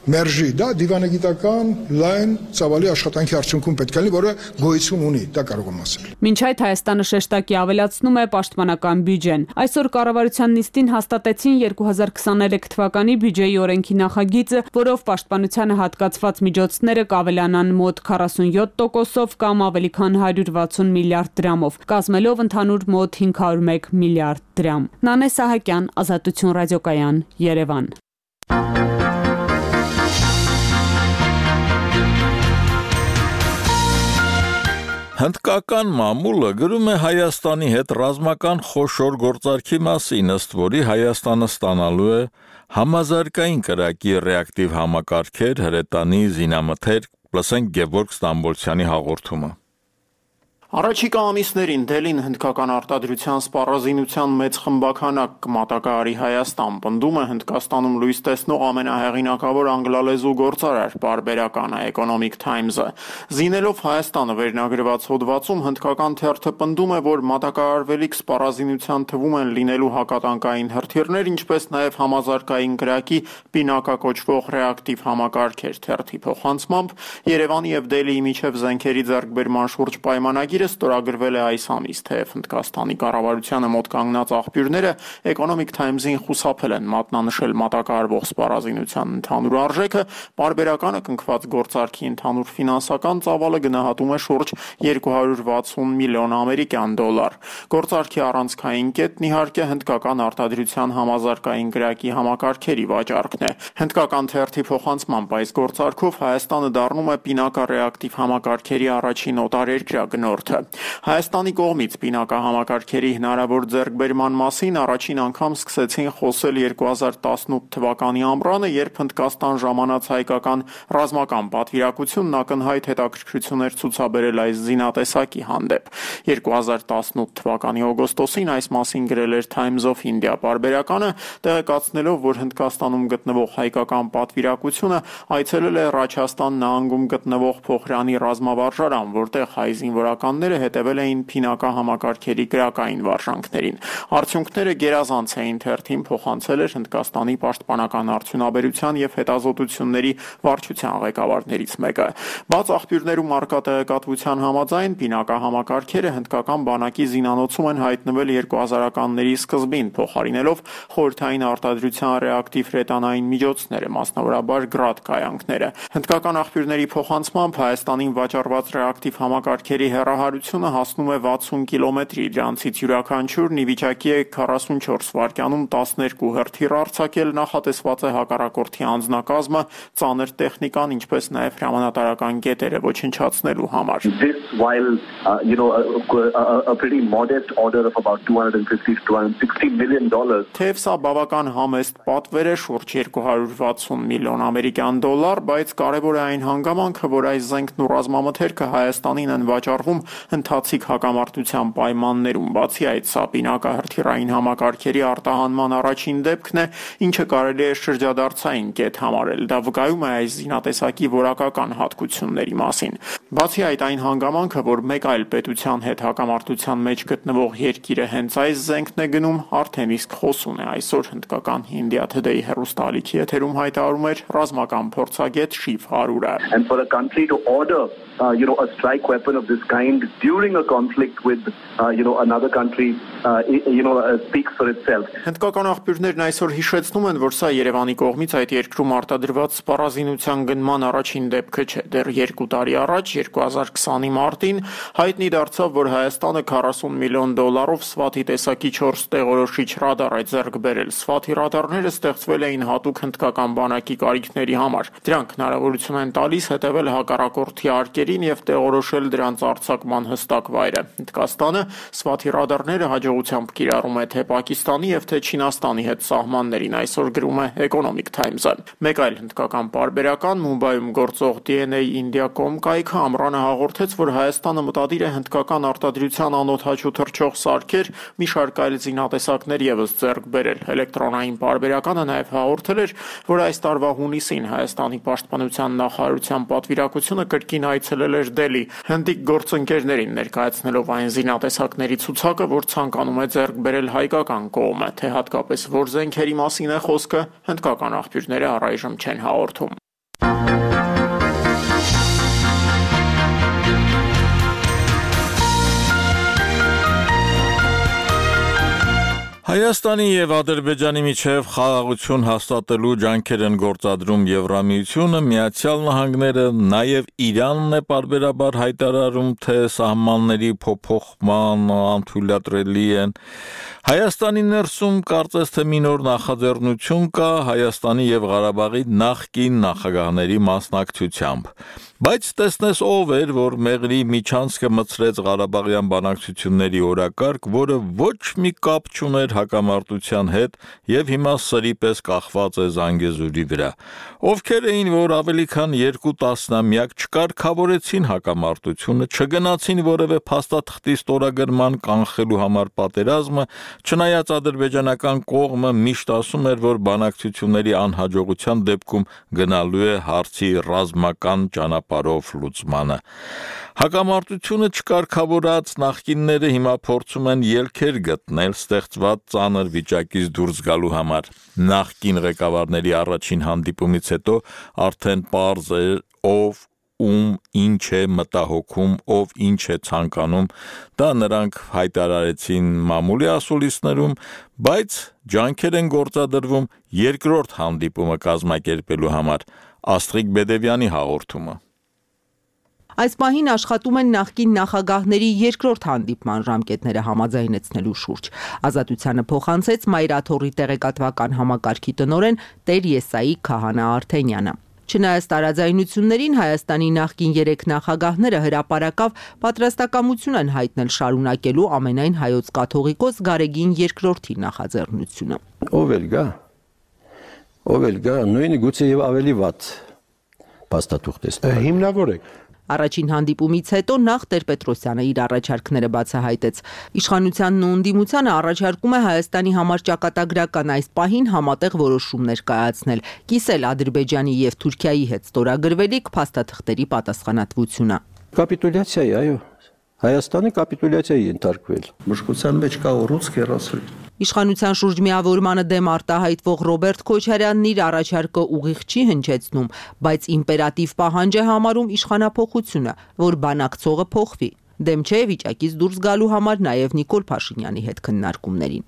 Speaker 17: մերժի, դա դիվանագիտական լայն ծավալի աշխատանքի արդյունքում պետք է լինի, որը գոյություն ունի, դա կարող եմ ասել։
Speaker 14: Մինչ այդ Հայաստանը շեշտակի ավելացնում է պաշտպանական բյուջեն։ Այսօր կառավարության նիստին հաստատեցին 2023 թվականի բյուջեի օրենքի նախագիծը, որով պաշտպանությանը հատկացված միջոցները կավելանան մոտ 47%-ով կամ ավելի քան 160 միլիարդ դրամով, կազմելով ընդհանուր մոտ 501 միլիարդ դրամ։ Նանե Սահակյան, Ազատություն ռադիոկայան, Երևան։
Speaker 1: Հնդկական մամուլը գրում է Հայաստանի հետ ռազմական խոշոր գործարքի մասին, ըստ որի Հայաստանը ստանալու է համազարգային կրակի ռեակտիվ համակարգեր, հրետանի, զինամթերք, լսենք Գևորգ Ստամբոլցյանի հաղորդումը։
Speaker 18: Առաջիկա ամիսներին Դելին հնդկական արտադրության սպառազինության մեծ խմբաքանակ կմատակարարի Հայաստան, պնդում է Հնդկաստանում լույս տեսնող ամենահեղինակավոր անգլալեզու գործարար պարբերականը Economic Times-ը։ Զինելով Հայաստանը վերնագրված հոդվածում հնդկական թերթը պնդում է, որ մատակարարվելիք սպառազինության թվում են լինելու հակատանկային հրթիռներ, ինչպես նաև համազարգային կրակի պինակակոչվող ռեակտիվ համակարգեր։ Թերթի փոխանցմամբ Երևանի եւ Դելիի միջև զենքերի ձեռքբերման շուրջ պայմանագիր պայմանագիրը ստորագրվել է այս ամիս, թեև Հնդկաստանի կառավարությանը մոտ կանգնած աղբյուրները Economic Times-ին խուսափել են մատնանշել մատակարարվող սպառազինության ընդհանուր արժեքը, պարբերականը կնքված գործարքի ընդհանուր ֆինանսական ծավալը գնահատում է շուրջ 260 միլիոն ամերիկյան դոլար։ Գործարքի առանցքային կետն իհարկե հնդկական արտադրության համազարգային գրակի համակարգերի վաճառքն է։ Հնդկական թերթի փոխանցմամբ այս գործարքով Հայաստանը դառնում է պինակառեակտիվ համակարգերի առաջին օտարերկրյա գնորդը։ Հայաստանի կողմից պինակահամակարգերի հնարավոր ձեռքբերման մասին առաջին անգամ սկսեցին խոսել 2018 թվականի ամռանը, երբ Հնդկաստան ժամանած հայկական ռազմական պատվիրակությունն ակնհայտ հետաքրքրություններ ցուցաբերել այս զինատեսակի հանդեպ։ 2018 թվականի օգոստոսին այս մասին գրել էր Times of India պարբերականը, տեղեկացնելով, որ Հնդկաստանում գտնվող հայկական պատվիրակությունը այցելել է Ռաչաստան նահանգում գտնվող Փոխրանի ռազմավարժարան, որտեղ հայ զինվորականները հետևել էին փինակահամակարգերի գրակային վարժանքներին։ Արդյունքները գերազանց էին, թերթին փոխանցել էր Հնդկաստանի պաշտպանական արդյունաբերության եւ հետազոտությունների վարչության ղեկավարներից մեկը։ Բաց աղբյուրներում արկա տեղեկատվության համաձայն պինակահամակարգերը հնդկական բանակի զինանոցում են հայտնվել 2000-ականների սկզբին, փոխարինելով խորհրդային արտադրության ռեակտիվ հրետանային միջոցները, մասնավորաբար գրադ կայանքները։ Հնդկական աղբյուրների փոխանցմամբ Հայաստանին վաճառված ռեակտիվ համակարգերի հեռահարությունը հասնում է 60 կիլոմետրի, դրանցից յուրաքանչյուրն ի վիճակի է 44 վայրկյանում 12 հրթիռ արձակել, նախատեսված է հակառակորդի անձնակազմը, ծանր տեխնիկան, ինչպես նաև հրամանատարական կետերը ոչնչացնելու համար։
Speaker 19: A pretty modest order of about $250 to $260 million.
Speaker 18: Թեև սա բավական համեստ պատվեր է, շուրջ 260 միլիոն ամերիկյան դոլար, բայց կարևոր է այն հանգամանքը, որ այս զենքն ու ռազմամթերքը Հայաստանին են վաճառվում ընթացիկ հակամարտության պայմաններում։ Բացի այդ, սա պինակահրթիռային համակարգերի արտահանման առաջին դեպքն է, ինչը կարելի է շրջադարձային կետ համարել։ Դա վկայում է այս զինատեսակի որակական հատկությունների մասին։ Բացի այդ, այն հանգամանքը, որ մեկ այլ պետության հետ հակամարտության մեջ գտնվող երկիրը հենց այս զենքն է գնում, արդեն իսկ խոսուն է։ Այսօր հնդկական India Today հեռուստաալիքի եթերում հայտարարում էր ռազմական փորձագետ Շիվ Հարուրը։
Speaker 19: And for a country to order a strike weapon of this kind during a conflict with another country speaks for itself.
Speaker 18: Հնդկական աղբյուրներն այսօր հիշեցնում են, որ սա Երևանի կողմից այդ երկրում արտադրված սպառազինության գնման առաջին դեպքը չէ։ Դեռ 2 տարի առաջ 2020-ի մարտին հայտնի դարձավ, որ Հայաստանը 40 միլիոն դոլարով Սվաթի տեսակի 4 տեղորոշիչ ռադար է ձեռք բերել։ Սվաթի ռադարները ստեղծվել էին հատուկ հնդկական բանակի կարիքների համար։ Դրանք հնարավորություն են տալիս հետևել հակառակորդի արկերին եւ տեղորոշել դրանց արձակման հստակ վայրը։ Հնդկաստանը Սվաթի ռադարները հաջողությամբ կիրառում է թե Պակիստանի եւ թե Չինաստանի հետ սահմաններին, այսօր գրում է Economic Times-ը։ Մեկ այլ հնդկական պարբերական Մումբայում գործող DNA India.com կայքը ամռանը հաղորդեց, որ Հայաստանը մտադիր է հնդկական արտադրության անօդաչու թռչող սարքեր, մի շարք այլ զինատեսակներ եւս ձեռք բերել։ Էլեկտրոնային պարբերականը նաեւ հաղորդել էր, որ այս տարվա հունիսին Հայաստանի պաշտպանության նախարարության պատվիրակությունը կրկին այցելել էր Դելհի, հնդիկ գործընկերներին ներկայացնելով այն զինատեսակների ցուցակը, որ ցանկանում է ձեռք բերել հայկական կողմը, թե հատկապես որ զենքերի մասին է խոսքը, հնդկական աղբյուրները առայժմ չեն հաղորդում։
Speaker 1: Հայաստանի եւ Ադրբեջանի միջև խաղաղություն հաստատելու ջանքեր են գործադրում Եվրամիությունը, Միացյալ Նահանգները, նաեւ Իրանն է պարբերաբար հայտարարում, թե սահմանների փոփոխման անթույլատրելի են։ Հայաստանի ներսում կարծես թե մի նոր նախաձեռնություն կա Հայաստանի եւ Ղարաբաղի նախկին նախագահների մասնակցությամբ։ Բայց տեսնես ով էր, որ Մեղրի միջանցքը մցրեց Ղարաբաղյան բանակցությունների օրակարգ, որը ոչ մի կապ չուներ հակամարտության հետ եւ հիմա սրի պես կախված է Զանգեզուրի վրա։ Ովքեր էին, որ ավելի քան 2 տասնամյակ չկարգավորեցին հակամարտությունը, չգնացին որևէ փաստաթղթի ստորագրման կանխելու համար պատերազմը, չնայած ադրբեջանական կողմը միշտ ասում էր, որ բանակցությունների անհաջողության դեպքում գնալու է հարցի ռազմական ճանապարհով լուծմանը։ Հակամարտությունը չկարգավորած նախկինները հիմա փորձում են ելքեր գտնել ստեղծված ծանր վիճակից դուրս գալու համար։ Նախկին ղեկավարների առաջին հանդիպումից հետո արդեն պարզ է ով ում ինչ է մտահոգում, ով ինչ է ցանկանում, դա նրանք հայտարարեցին մամուլի ասուլիսներում, բայց ջանքեր են գործադրվում երկրորդ հանդիպումը կազմակերպելու համար։ Աստղիկ Բեդևյանի հաղորդումը։
Speaker 20: Այս պահին աշխատում են նախկին նախագահների երկրորդ հանդիպման ժամկետները համաձայնեցնելու շուրջ։ Ազատությանը փոխանցեց Մայրաթոռի տեղեկատվական համակարգի տնօրեն Տեր Եսայի Քահանա Արթենյանը։ Չնայած տարաձայնություններին Հայաստանի նախկին 3 նախագահները հրապարակավ պատրաստակամություն են հայտնել շարունակելու ամենայն հայոց կաթողիկոս Գարեգին II-ի նախաձեռնությունը։
Speaker 21: Ով էլ գա, նույնը գուցե եւ ավելի վատ փաստաթուղթ է։ Հիմնավորեք։
Speaker 20: Առաջին հանդիպումից հետո նախ Տեր-Պետրոսյանը իր առաջարկները բացահայտեց։ Իշխանությանն ու ընդդիմությանը առաջարկում է Հայաստանի համար ճակատագրական այս պահին համատեղ որոշումներ կայացնել, կիսել Ադրբեջանի եւ Թուրքիայի հետ ստորագրվելիք փաստաթղթերի պատասխանատվությունը։
Speaker 21: Կապիտուլյացիա, այո։ Հայաստանը կապիտուլյացիայի ենթարկվել։
Speaker 22: Մշկության մեջ կա ուռուցք հեռացրել։
Speaker 20: Իշխանության շուրջ միավորմանը դեմ արտահայտվող Ռոբերտ Քոչարյանն իր առաջարկը ուղիղ չի հնչեցնում, բայց իմպերատիվ պահանջ է համարում իշխանափոխությունը, որ բանակցողը փոխվի։ Դեմ չէ վիճակից դուրս գալու համար նաև Նիկոլ Փաշինյանի հետ քննարկումներին։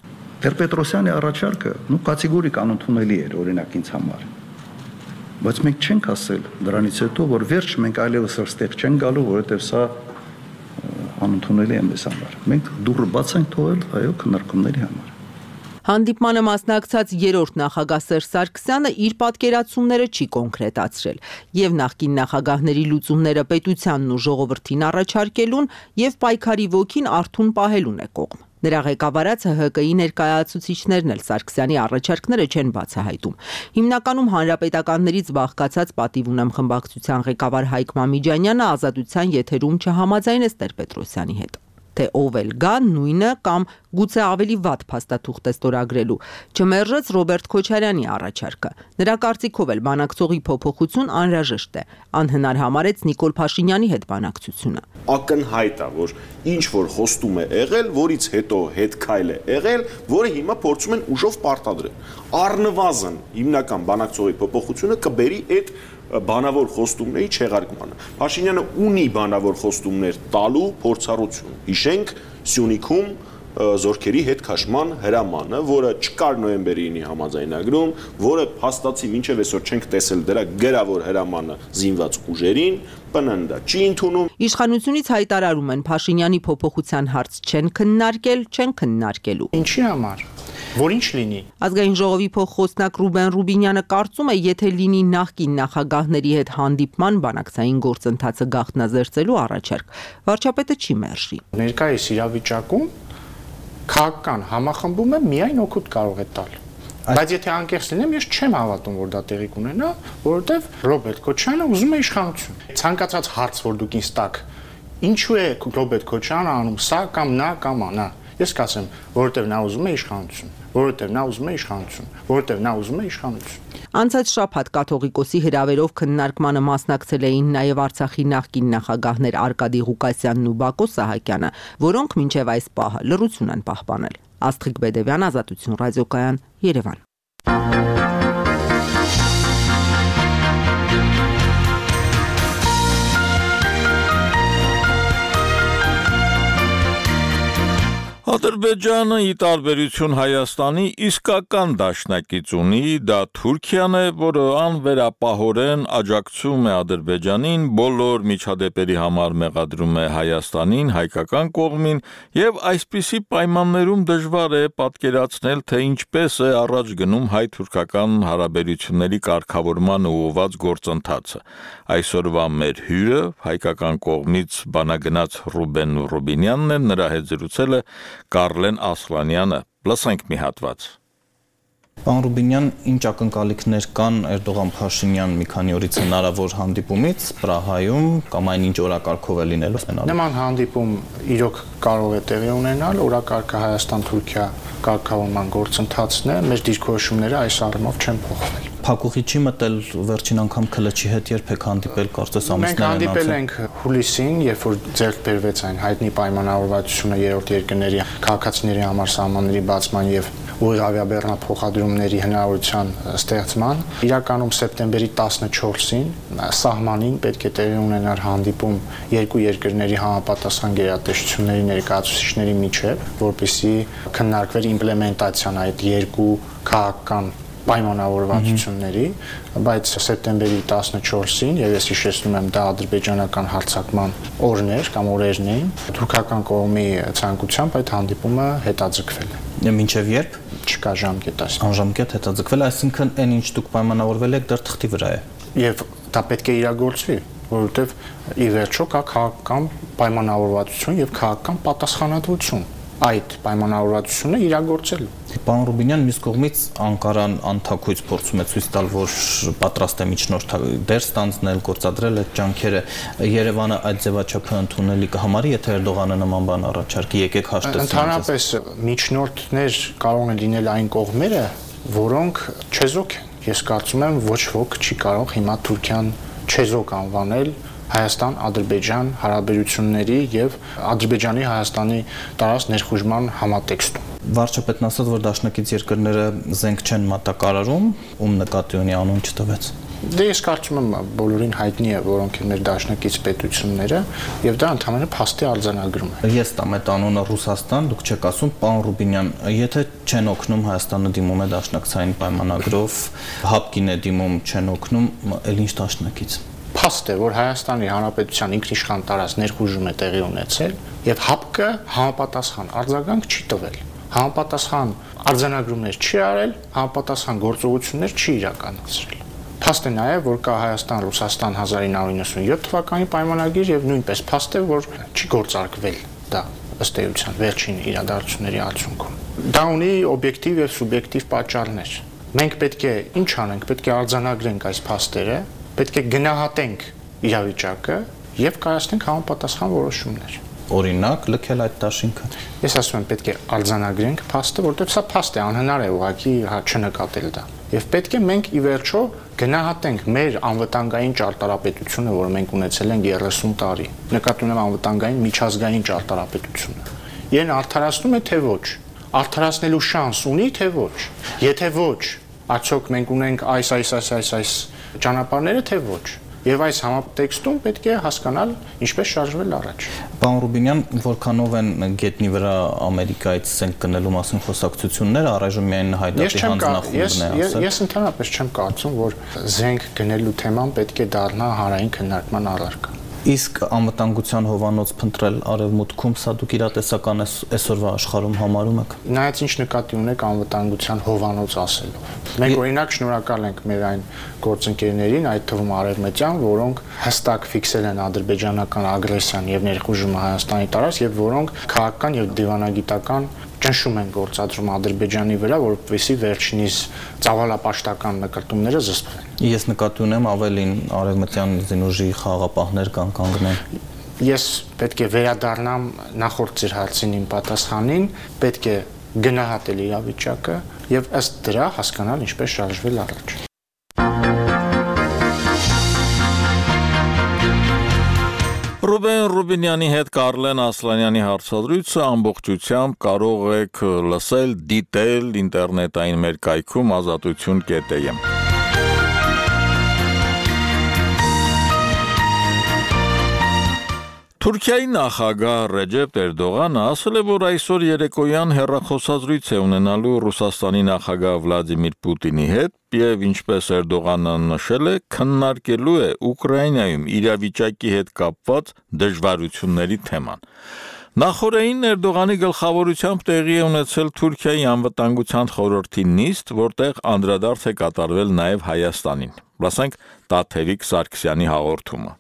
Speaker 22: Տեր-Պետրոսյանի առաջարկը կատեգորիկ անընդունելի էր օրինակ ինձ համար։ Բայց մենք չենք ասել դրանից հետո, որ վերջ մենք այլևս այստեղ չենք գալու, որովհետև սա անընդունելի է մեզ համար։ Մենք դուռը բաց ենք թողել այո քննարկումների համար։
Speaker 20: Հանդիպմանը մասնակցած 3-րդ նախագահ Սերժ Սարգսյանը իր պատկերացումները չի կոնկրետացրել եւ նախկին նախագահների լուծումները պետությանն ու ժողովրդին առաջարկելուն եւ պայքարի ոգին արթուն պահելուն է կողմ։ Նրա ղեկավարած ՀՀԿ-ի ներկայացուցիչներն էլ Սարգսյանի առաջարկները չեն բացահայտում։ Հիմնականում հանրապետականներից բաղկացած պատիվ ունեմ խմբակցության ղեկավար Հայկ Մամիջանյանը ազատության եթերում չհամաձայնեց Տեր-Պետրոսյանի հետ։ Թե ով էլ գա նույնը կամ գուցե ավելի վատ փաստաթուղթ է ստորագրելու, չմերժեց Ռոբերտ Քոչարյանի առաջարկը։ Նրա կարծիքով էլ բանակցողի փոփոխություն անհրաժեշտ է, անհնար համարեց Նիկոլ Փաշինյանի հետ բանակցությունը։
Speaker 16: Ակնհայտ է, որ ինչ որ խոստում է եղել, որից հետո հետքայլ է եղել, որը հիմա փորձում են ուժով պարտադրել։ Առնվազն հիմնական բանակցողի փոփոխությունը կբերի այդ բանավոր խոստումների չեղարկմանը։ Փաշինյանը ունի բանավոր խոստումներ տալու փորձառություն։ Հիշենք Սյունիքում զորքերի հետ քաշման հրամանը, որը չկար նոյեմբերի 9-ի համաձայնագրում, որը հաստատի մինչև այսօր չենք տեսել դրա գրավոր հրամանը զինված ուժերին, ՊՆՆ-ը չի ընդունում։
Speaker 20: Իշխանությունից հայտարարում են Փաշինյանի փոփոխության հարց չեն քննարկելու։
Speaker 6: Ինչի համար։ Որ ինչ լինի։
Speaker 20: Ազգային ժողովի փոխխոսնակ Ռուբեն Ռուբինյանը կարծում է, եթե լինի նախկին նախագահների հետ հանդիպման բանակցային գործընթացը գաղտնազերծելու առաջարկ, վարչապետը չի մերժի։
Speaker 6: Ներկայիս իրավիճակում քաղաքական համախմբումը միայն օգուտ կարող է տալ։ Բայց եթե անկեղծ լինեմ, ես չեմ հավատում, որ դա տեղի կունենա, որովհետև Ռոբերտ Քոչարյանը ուզում է իշխանություն։ Ցանկացած հարց, որ դուք ինձ տաք, ինչու է Ռոբերտ Քոչարյանը անում սա կամ նա կամ անա։ Ես կասեմ, որովհետև նա ուզում է իշխանություն, որովհետև նա ուզում է իշխանություն, որովհետև նա ուզում է իշխանություն։
Speaker 20: Անցած շաբաթ կաթողիկոսի հրավերով քննարկմանը մասնակցել էին նաև Արցախի նախկին նախագահներ Արկադի Ղուկասյանն ու Բակո Սահակյանը, որոնք մինչև այս պահը լռություն են պահպանել։ Աստղիկ Բեդևյան, Ազատություն ռադիոկայան, Երևան։
Speaker 1: Ադրբեջանը ի տարբերություն Հայաստանի իսկական դաշնակից ունի, դա Թուրքիան է, որը անվերապահորեն աջակցում է Ադրբեջանին, բոլոր միջադեպերի համար մեղադրում է Հայաստանին, հայկական կողմին եւ այսպիսի պայմաններում դժվար է պատկերացնել, թե ինչպես է առաջ գնում հայ-թուրքական հարաբերությունների կարգավորման ուղղված գործընթացը։ Այսօրվա մեր հյուրը հայկական կողմից բանագնաց Ռուբեն Ռուբինյանն է, նրա հետ զրուցել է Կարլեն Ասլանյանը, լսենք մի հատված։
Speaker 23: Պարոն Ռուբինյան, ինչ ակնկալիքներ կան Էրդողան-Փաշինյան մի քանի օրից հնարավոր հանդիպումից Պրահայում կամ այնինչ օրակարգով է լինելու։
Speaker 6: Նման հանդիպում իրոք կարող է տեղի ունենալ, օրակարգը Հայաստան-Թուրքիա կարգավորման գործընթացն է, մեր դիրքորոշումները այս առումով չեն փոխվել։
Speaker 23: Փակուղի չի մտել վերջին անգամ Քլչի հետ երբեք հանդիպել, կարծես ամիսներ
Speaker 6: են անցել։ Մենք հանդիպել ենք հուլիսին, երբ որ ձեռք բերվեց այն հայտնի պայմանավորվածությունը երրորդ երկրների քաղաքացիների համար սահմանների բացման եւ ուղիղ ավիաբեռնափոխադրումների հնարավորության ստեղծման։ Իրականում սեպտեմբերի 14-ին սահմանին պետք է տեղի ունենար հանդիպում երկու երկրների համապատասխան գերատեսչությունների ներկայացուցիչների միջև, որպեսզի քննարկվեր իմպլեմենտացիան այդ երկու քաղաքական պայմանավորվածությունների, բայց սեպտեմբերի 14-ին, եւ ես հիշեցնում եմ, դա ադրբեջանական հարձակման օրն էր կամ օրերն էին, թուրքական կողմի ցանկությամբ այդ հանդիպումը հետաձգվել է։
Speaker 23: Մինչև երբ?
Speaker 6: Չկա ժամկետ այս։
Speaker 23: Անժամկետ հետաձգվել, այսինքն այն ինչ դուք պայմանավորվել եք դեռ թղթի վրա է։
Speaker 6: Եվ դա պետք է իրագործվի, որովհետև ի վերջո կա քաղաքական պայմանավորվածություն եւ քաղաքական պատասխանատվություն այդ պայմանավորվածությունը իրագործելու։
Speaker 23: Պարոն Ռուբինյան, մյուս կողմից Անկարան անթաքույց փորձում է ցույց տալ, որ պատրաստ է միջնորդ դեր ստանձնել, գործադրել այդ ջանքերը։ Երևանը այդ ձևաչափը ընդունելի կհամարի, եթե Էրդողանը նման բան առաջարկի, եկեք հաշտեցնենք։
Speaker 6: Ընդհանրապես միջնորդներ կարող են լինել այն կողմերը, որոնք չեզոք են։ Ես կարծում եմ, ոչ ոք չի կարող հիմա Թուրքիան չեզոք անվանել Հայաստան-Ադրբեջան հարաբերությունների եւ Ադրբեջանի Հայաստանի տարած ներխուժման համատեքստում։
Speaker 23: Վարչապետն ասաց, որ դաշնակից երկրները զենք չեն մատակարարում, ում նկատի ունի անուն չտվեց։
Speaker 6: Դե ես կարծում եմ բոլորին հայտնի է, որոնք են մեր դաշնակից պետությունները, եւ դա ընդհանրապես փաստի արձանագրում է։
Speaker 23: Ես տամ այդ անունը Ռուսաստան, դուք չեք ասում, պարոն Ռուբինյան, եթե չեն օգնում Հայաստանը դիմում է դաշնակցային պայմանագրով, ՀԱՊԿ-ին է դիմում, չեն օգնում, ել ինչ դաշնակից։
Speaker 6: Փաստ է, որ Հայաստանի Հանրապետության ինքնիշխան տարած ներխուժում է տեղի ունեցել եւ ՀԱՊԿ-ը համապատասխան արձագանք չի տվել։ Համապատասխան արձանագրումներ չի արել, համապատասխան գործողություններ չի իրականացրել։ Փաստ է նաեւ, որ կա Հայաստան-Ռուսաստան 1997 թվականի պայմանագիր եւ նույնպես փաստ է, որ չի գործարկվել դա ըստ էության վերջին իրադարձությունների արդյունքում։ Դա ունի օբյեկտիվ եւ սուբյեկտիվ պատճառներ։ Մենք պետք է ինչ անենք, պետք է արձանագրենք այս փաստերը, պետք է գնահատենք իրավիճակը եւ կայացնենք համապատասխան որոշումներ։
Speaker 23: Օրինակ, լքել այդ դաշինքը։
Speaker 6: Ես ասում եմ, պետք է արձանագրենք փաստը, որտեղ սա փաստ է, անհնար է ուղղակի չնկատել դա։ Եվ պետք է մենք ի վերջո գնահատենք մեր անվտանգային ճարտարապետությունը, որը մենք ունեցել ենք 30 տարի։ Նկատի ունեմ անվտանգային միջազգային ճարտարապետությունը։ Իրեն արդարացնում է թե ոչ։ Արդարացնելու շանս ունի թե ոչ։ Եթե ոչ, արդյոք մենք ունենք այս ճանապարհները թե ոչ։ Եվ այս համատեքստում պետք է հասկանալ ինչպես շարժվել առաջ։
Speaker 23: Պարոն Ռուբինյան, որքանով են գետնի վրա Ամերիկայից զենք գնելու մասին խոսակցությունները, առայժմ միայն հայդատի հանձնախումբն է ասել։
Speaker 6: Ես ընդհանրապես չեմ կարծում, որ զենք գնելու թեման պետք է դառնա հանրային քննարկման առարկա։
Speaker 23: Իսկ անվտանգության հովանոց փնտրել արևմուտքում, սա դուք իրատեսական այսօրվա աշխարհում համարում եք։
Speaker 6: Նայած ինչ նկատի ունեք անվտանգության հովանոց ասելով։ Մենք օրինակ շնորհակալ ենք մեր այն գործընկերներին, այդ թվում արևմտյան, որոնք հստակ ֆիքսել են ադրբեջանական ագրեսիան եւ ներխուժումը Հայաստանի տարած եւ որոնք քաղաքական եւ դիվանագիտական ճնշում են գործադրում Ադրբեջանի վրա, որպեսզի վերջինիս ծավալապաշտական նկարտումները զսպվեն։
Speaker 23: Ես նկատի ունեմ ավելին արևմտյան զինուժի խաղապահներ կան կանգնեն։
Speaker 6: Ես պետք է վերադառնամ նախորդ ձեր հարցին իմ պատասխանին, պետք է գնահատել իրավիճակը եւ ըստ դրա հասկանալ ինչպես շարժվել առաջ։
Speaker 1: Ռուբեն Ռուբինյանի հետ Կարլեն Ասլանյանի հարցադրույցը ամբողջությամբ կարող եք լսել, դիտել ինտերնետային մեր կայքում ազատություն.am։ Թուրքիայի նախագահ Ռեջեփ Էրդողանը ասել է, որ այսօր երեկոյան հեռախոսազրույց է ունենալու Ռուսաստանի նախագահ Վլադիմիր Պուտինի հետ եւ ինչպես Էրդողանը նշել է, քննարկելու է Ուկրաինայում իրավիճակի հետ կապված դժվարությունների թեման։ Նախորդին Էրդողանի գլխավորությամբ տեղի է ունեցել Թուրքիայի անվտանգության խորհրդի նիստ, որտեղ անդրադարձ է կատարվել նաեւ Հայաստանին։ Լսենք Տաթևիկ Սարգսյանի հաղորդումը։